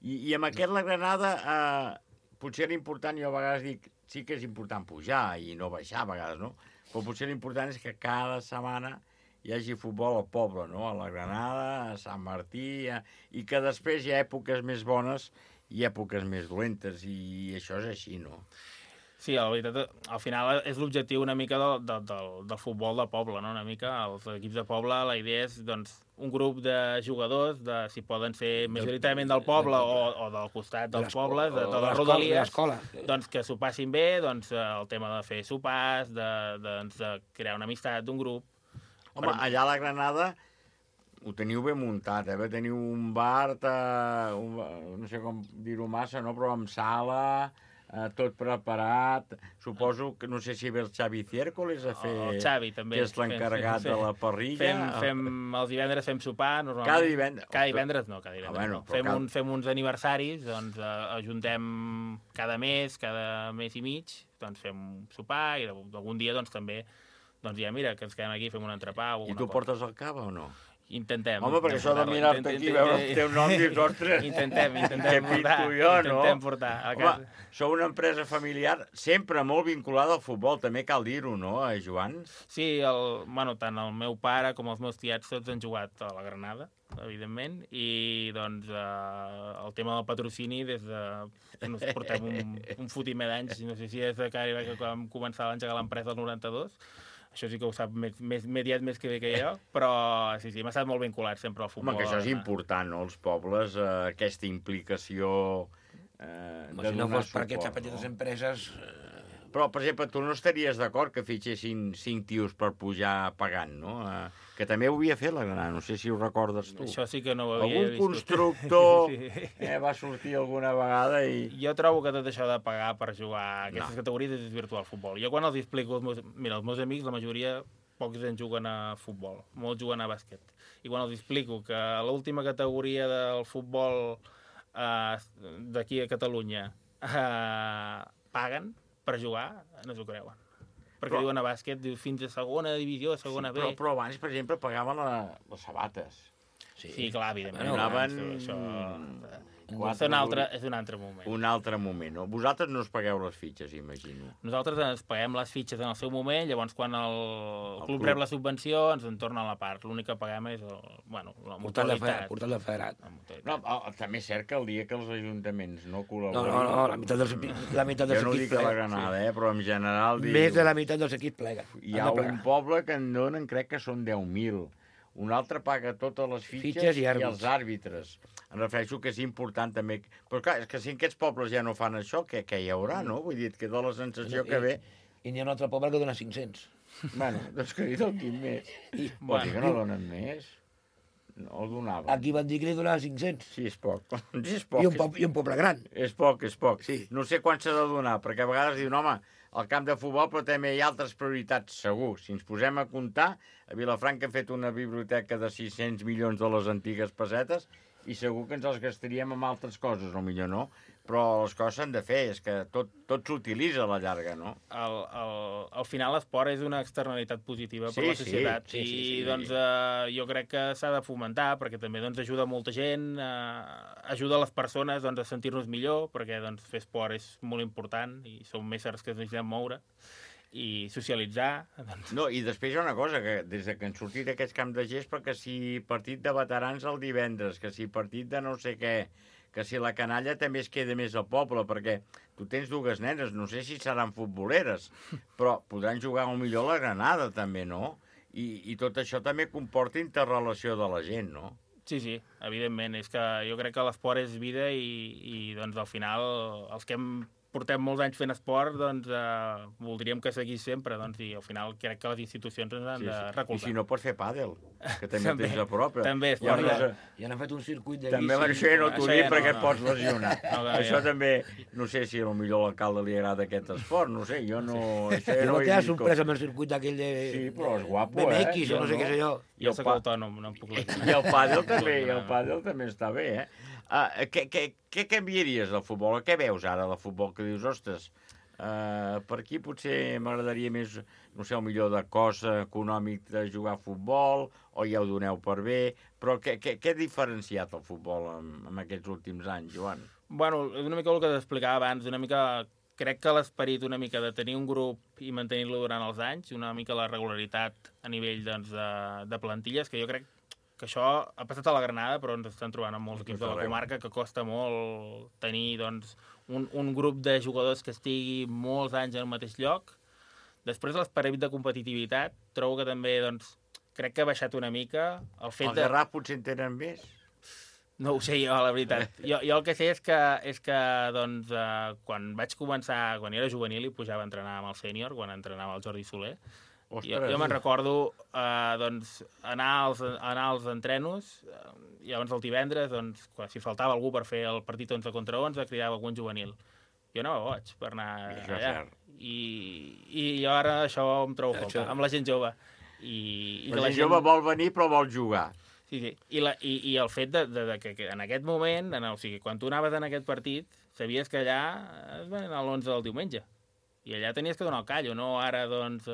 I amb aquest la Granada... potser l'important, jo a vegades dic, sí que és important pujar i no baixar a vegades, no? Però potser l'important és que cada setmana hi hagi futbol al poble, no? A la Granada, a Sant Martí, i que després hi ha èpoques més bones i èpoques més dolentes, i això és així, no? Sí, la veritat, al final és l'objectiu una mica del futbol de poble, no? Una mica, els equips de poble, la idea és, doncs, un grup de jugadors, si poden ser majoritàriament del poble o del costat dels pobles, de les rodalies, doncs que s'ho passin bé, doncs el tema de fer sopars, de crear una amistat d'un grup. Home, allà a la Granada ho teniu ben muntat, teniu un bar, no sé com dir-ho massa, no? Però amb sala... tot preparat, suposo que no sé si ve el Xavi Ciércoles a fer... El Xavi, també. Que és l'encarregat de la parrilla. Els divendres fem sopar, normalment. Cada divendres? Cada divendres no. Fem uns aniversaris, doncs ajuntem cada mes i mig, doncs fem sopar, i algun dia doncs també, doncs ja mira, que ens quedem aquí, fem un entrepà o alguna cosa. I tu portes el cava o no? Intentem. Home, perquè això de mirar-te aquí, veure el teu nom i dius, ostres... Intentem portar a casa. Home, sou una empresa familiar sempre molt vinculada al futbol, també cal dir-ho, no, Joan? Sí, tant el meu pare com els meus tiets tots han jugat a la Granada, evidentment, i doncs el tema del patrocini des de... Ens portem un fotimer d'anys, no sé si és de que vam començar a engegar l'empresa el 92, això sí que ho sap més que bé que jo, però sí, m'ha estat molt vinculat sempre al futbol. Home, que això és important, no?, els pobles, aquesta implicació de donar suport. Si no fos per aquestes petites empreses, Però, per exemple, tu no estaries d'acord que fitxessin 5 tios per pujar pagant, no? Que també ho havia fet la Granada, no sé si ho recordes tu. Això sí que no ho havia Algun vist. constructor Sí. va sortir alguna vegada i... Jo trobo que tot això de pagar per jugar a aquestes categories és virtual futbol. Jo quan els explico, els meus amics, la majoria, pocs en juguen a futbol, molts juguen a bàsquet. I quan els explico que l'última categoria del futbol d'aquí a Catalunya paguen per jugar, no s'ho creuen. Perquè diuen a bàsquet, fins a segona divisió, a segona B. Però abans, per exemple, pagaven les sabates. Sí, clar, evidentment. Anaven... És un altre moment. Un altre moment, no? Vosaltres no us pagueu les fitxes, imagino. Nosaltres ens paguem les fitxes en el seu moment, llavors quan el club rep la subvenció ens en torna la part. L'únic que paguem és la mutualitat. Portal de federat. No, també és cert que el dia que els ajuntaments no col·laboren... No, la meitat dels equips Jo no dic a la Granada, però en general... Més de la meitat dels equips pleguen. Hi ha un poble que en donen, crec que són 10.000. Un altre paga totes les fitxes i els àrbitres. Em refereixo que és important també... Però clar, és que si en aquests pobles ja no fan això, què hi haurà, no? Vull dir, et queda la sensació que ve... I n'hi ha un altre poble que dona 500. Bueno, doncs que li donin més. Vol dir que no donen més? No el donaven. Aquí van dir que li donaven 500. Sí, és poc. Sí, és poc. I un poble gran. És poc. Sí. No sé quan s'ha de donar, perquè a vegades diuen, home, al camp de futbol, però també hi ha altres prioritats, segur. Si ens posem a comptar, a Vilafranca hem fet una biblioteca de 600 milions de les antigues pessetes i segur que ens els gastaríem amb altres coses, o millor no, però les coses s'han de fer, és que tot s'utilitza a la llarga, no? Al final l'esport és una externalitat positiva per la societat i doncs jo crec que s'ha de fomentar perquè també doncs, ajuda molta gent, ajuda les persones doncs, a sentir-nos millor perquè doncs, fer esport és molt important i som éssers que ens necessitem moure i socialitzar. Doncs... No, i després hi ha una cosa, que des que han sortit aquests camps de gespa, que si partit de veterans el divendres, que si partit de no sé què, que si la canalla també es queda més al poble, perquè tu tens dues nenes, no sé si seran futboleres, però podran jugar millor a la Granada també, no? I tot això també comporta interrelació de la gent, no? Sí, evidentment. És que jo crec que l'esport és vida i doncs al final els que portem molts anys fent esport, doncs voldríem que seguís sempre, doncs, i al final crec que les institucions ens han de recolzar. I si no pots fer pàdel, que també tens a prop. També és fort. Ja han fet un circuit de també bici. També no t'ho dic perquè et pots lesionar. Això també, no sé si potser a l'alcalde li agrada aquest esport, no sé, jo no... Jo no t'he sorpresa amb el circuit d'aquell de... Sí, però és guapo, BMX o no sé què sé jo. Jo soc autònom, no em puc lesionar. I el pàdel també està bé, Què canviaries del futbol? Què veus ara del futbol? Que dius, ostres, per aquí potser m'agradaria més, no sé, el millor de cost econòmic de jugar a futbol, o ja ho doneu per bé, però què ha diferenciat el futbol en aquests últims anys, Joan? Bueno, és una mica el que t'explicava abans, una mica... Crec que l'esperit una mica de tenir un grup i mantenir-lo durant els anys, una mica la regularitat a nivell doncs, de plantilles, que jo crec que això ha passat a la Granada, però ens estan trobant amb molts equips de la comarca, que costa molt tenir doncs, un grup de jugadors que estigui molts anys en el mateix lloc. Després, l'esperit de competitivitat, trobo que també, doncs, crec que ha baixat una mica. El Garraf potser en tenen més? No ho sé jo, la veritat. Jo el que sé és que doncs, quan vaig començar, quan era juvenil i pujava a entrenar amb el sènior, quan entrenava el Jordi Soler, jo me'n recordo doncs, anar als entrenos, llavors el divendres, doncs, si faltava algú per fer el partit 11 contra 11, cridava algun juvenil. Jo anava boig per anar allà. I jo ara això em trobo falta, amb la gent jove. La gent jove vol venir però vol jugar. Sí. I el fet que en aquest moment, o sigui, quan tu anaves en aquest partit, sabies que allà es van anar a l'11 del diumenge. I allà tenies que donar el callo, no? Ara, doncs,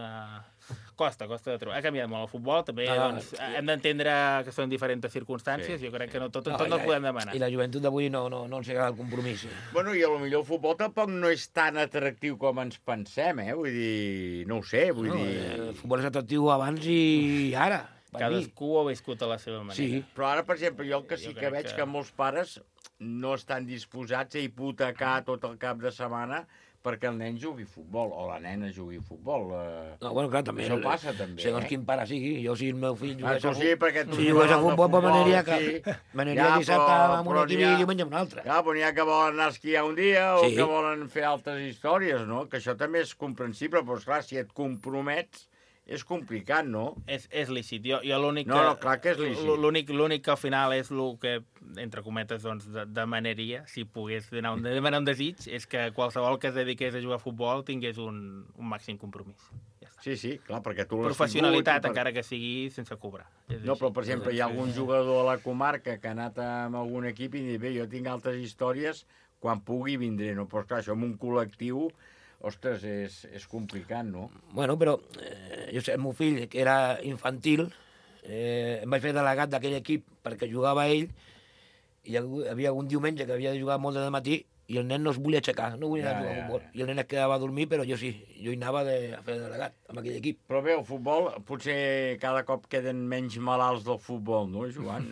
costa de trobar. Ha canviat molt el futbol, també doncs, hem d'entendre que són diferents circumstàncies, jo crec que tot no el podem demanar. I la joventut d'avui no ens agrada el compromís. Bueno, i potser el futbol tampoc no és tan atractiu com ens pensem, Vull dir, no ho sé, El futbol és atractiu abans i ara. Cadascú ho ha viscut a la seva manera. Sí, però ara, per exemple, jo el que sí que veig que molts pares no estan disposats a hipotecar tot el cap de setmana perquè el nen jugui futbol, o la nena jugui futbol. No, bueno, clar, també. Això passa, també. Segons quin pare sigui. Jo, si el meu fill jugués tu sí, perquè tu si jugués a futbol, pues m'aniria ja, dissabte amb un equip i diumenge amb un altre. Clar, però n'hi ha que volen anar a esquiar un dia o que volen fer altres històries, no? Que això també és comprensible, però esclar, si et compromets, és complicat, no? És lícit. Jo l'únic No, clar que és lícit. L'únic que al final és el que, entre cometes, doncs, demanaria, si pogués demanar un desig, és que qualsevol que es dediqués a jugar a futbol tingués un màxim compromís. Ja està. Sí, clar, perquè tu l'has professionalitat, encara que sigui sense cobrar. No, però, per exemple, hi ha algun jugador a la comarca que ha anat amb algun equip i diu, bé, jo tinc altres històries, quan pugui vindré, no? Però, clar, això amb un col·lectiu... Ostres, és complicat, no? Bueno, però jo sé, el meu fill, que era infantil, em vaig fer delegat d'aquell equip perquè jugava ell, i hi havia un diumenge que havia de jugar molt de matí i el nen no es volia aixecar, no volia anar a jugar a futbol. I el nen es quedava a dormir, però jo sí, jo hi anava a fer delegat amb aquell equip. Però bé, el futbol, potser cada cop queden menys malalts del futbol, no, Joan?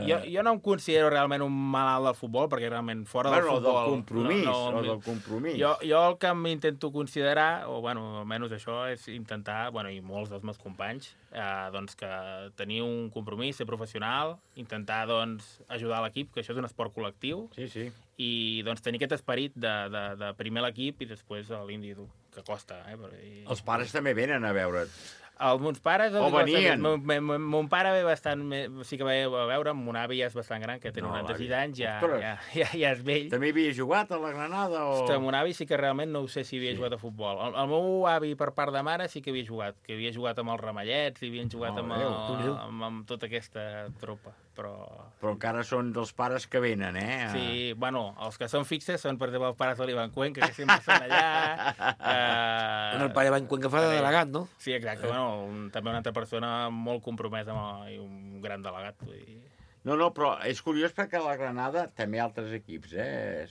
Jo no em considero realment un malalt del futbol, perquè realment fora del futbol... del compromís. Jo el que m'intento considerar, o bueno, almenys això, és intentar, bueno, i molts dels meus companys, doncs que tenir un compromís, ser professional, intentar doncs ajudar l'equip, que això és un esport col·lectiu, i doncs tenir aquest esperit de primer l'equip i després l'individu, que costa. Els pares també venen a veure't. Els meus pares... O venien. Mon pare ve bastant... Sí que ve a veure, mon avi ja és bastant gran, que té 96 anys, ja és vell. També havia jugat a la Granada? Ostres, mon avi sí que realment no ho sé si havia jugat a futbol. El meu avi, per part de mare, sí que havia jugat amb els Ramallets, i havien jugat amb tota aquesta tropa. Però encara són dels pares que venen, eh? Sí, bueno, els que són fixes són, per exemple, els pares de l'Ivan Cuenca, que sempre estan allà. El pare Ivan Cuenca fa de delegat, no? Sí, exacte, bueno, també una altra persona molt compromesa i un gran delegat. No, però és curiós perquè a la Granada també altres equips,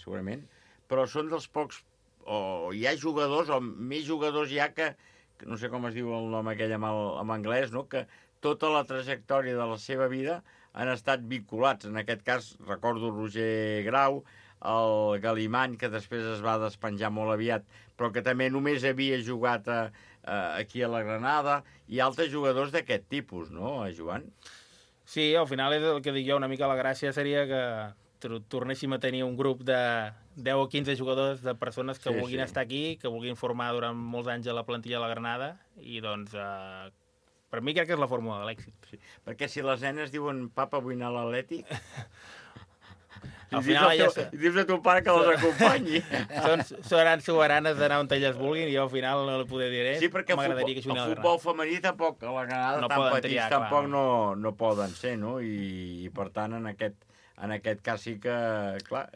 segurament, però són dels pocs, o hi ha jugadors, o més jugadors hi ha que no sé com es diu el nom aquell en anglès, no? Que tota la trajectòria de la seva vida han estat vinculats. En aquest cas, recordo Roger Grau, el Galimany, que després es va despenjar molt aviat, però que també només havia jugat aquí a la Granada, i altres jugadors d'aquest tipus, no, Joan? Sí, al final és el que dic jo, una mica la gràcia seria que tornéssim a tenir un grup de 10 o 15 jugadors, de persones que vulguin estar aquí, que vulguin formar durant molts anys a la plantilla de la Granada, i doncs... per mi crec que és la fórmula de l'èxit. Sí. Perquè si les nenes diuen papa, vull anar a l'Atlètic, al final i dius a ton pare que les acompanyi. Seran soberanes d'anar on elles vulguin, i jo al final no li podré dir sí, perquè el futbol femení tampoc, a la Granada no tan petits tampoc no poden ser, no? I per tant, en aquest cas sí que, clar,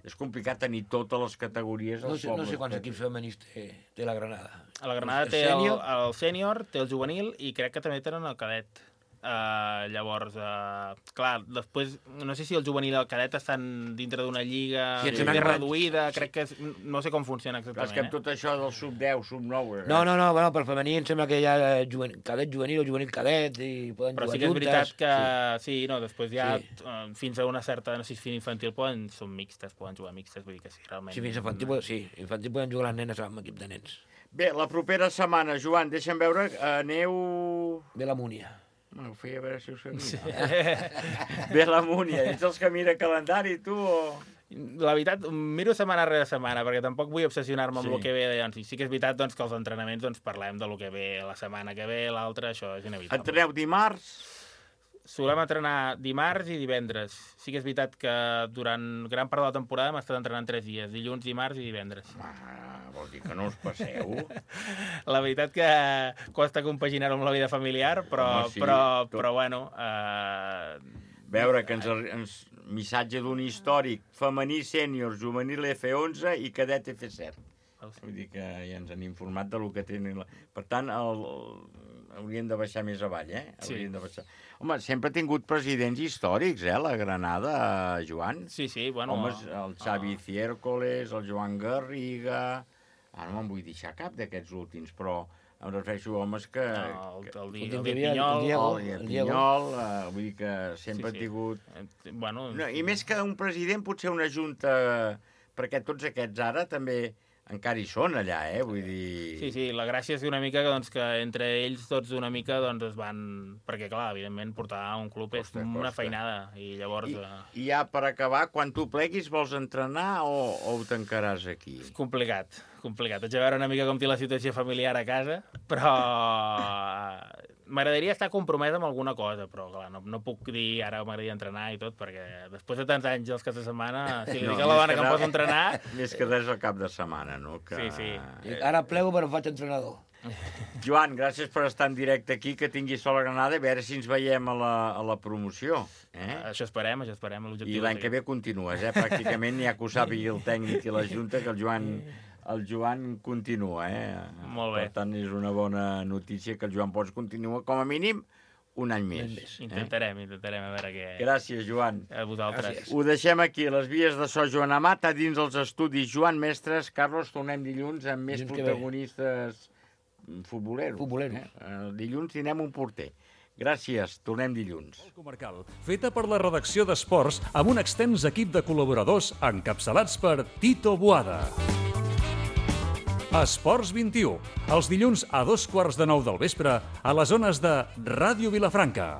és complicat tenir totes les categories. No sé quants equips femenins té la Granada. A la Granada té el sènior, té el juvenil, i crec que també tenen el cadet. Llavors, clar, després, no sé si el juvenil i el cadet estan dintre d'una lliga més reduïda, crec que no sé com funciona exactament. És que amb tot això del sub-10, sub-9... No, bueno, pel femení em sembla que hi ha cadet juvenil o juvenil cadet i poden jugar juntes. Però sí que és veritat que, després ja fins a una certa, no sé si fins infantil són mixtes, poden jugar mixtes, vull dir que sí, realment. Sí, fins infantil poden jugar les nenes amb equip de nens. Bé, la propera setmana, Joan, deixa'm veure, aneu... Ve la Múnia. No, ho feia a veure si ho sabia. Sí. Ve la Múnia. Ets els que mira calendari, tu, o...? La veritat, miro setmana rere setmana, perquè tampoc vull obsessionar-me amb el que ve. Sí que és veritat que els entrenaments parlem del que ve la setmana que ve, l'altra, això és inevitable. Entreneu dimarts? Solem entrenar dimarts i divendres. Sí que és veritat que durant gran part de la temporada hem estat entrenant 3 dies, dilluns, dimarts i divendres. Vol dir que no us passeu? La veritat que costa compaginar-ho amb la vida familiar, però bueno... Veure que missatge d'un històric, femení sènior, juvenil F11 i cadet F7. Vull dir que ja ens han informat del que tenen. Per tant, haurien de baixar més avall, Haurien de baixar. Home, sempre ha tingut presidents històrics, la Granada, Joan. Sí, bueno... Home, el Xavi Ciércoles, el Joan Garriga... Ara no me'n vull deixar cap d'aquests últims, però Em refereixo a homes que... El Pinyol. El Pinyol, vull dir que sempre ha tingut... Bueno... I més que un president, potser una junta, perquè tots aquests ara també encara hi són allà, vull dir... Sí, la gràcia és una mica que entre ells tots una mica es van... Perquè, clar, evidentment, portar un club és una feinada, i llavors... I ja per acabar, quan tu pleguis vols entrenar o ho tancaràs aquí? És complicat. Haig de veure una mica com té la situació familiar a casa, però m'agradaria estar compromès amb alguna cosa, però clar, no puc dir ara m'agradaria entrenar i tot, perquè després de tants anys els caps de setmana, si li dic a la dona que em poso a entrenar... Més que res al cap de setmana, no? Sí. Ara plego però faig entrenador. Joan, gràcies per estar en directe aquí, que tinguis sol a Granada, a veure si ens veiem a la promoció. Això esperem. I l'any que ve continues, pràcticament ja que ho sàpigui el tècnic i la Junta, que el Joan continua, Molt bé. Per tant, és una bona notícia que el Joan Pons continua, com a mínim, un any més. Intentarem, a veure què... Gràcies, Joan. A vosaltres. Ho deixem aquí, les vies de so Joan Amat, a dins els estudis Joan Mestres. Carlos, tornem dilluns amb més protagonistes futboleros. Dilluns tindrem un porter. Gràcies, tornem dilluns. Comarcal, feta per la redacció d'Esports amb un extens equip de col·laboradors encapçalats per Tito Boada. Esports 21, els dilluns a 2:15 del vespre a les zones de Ràdio Vilafranca.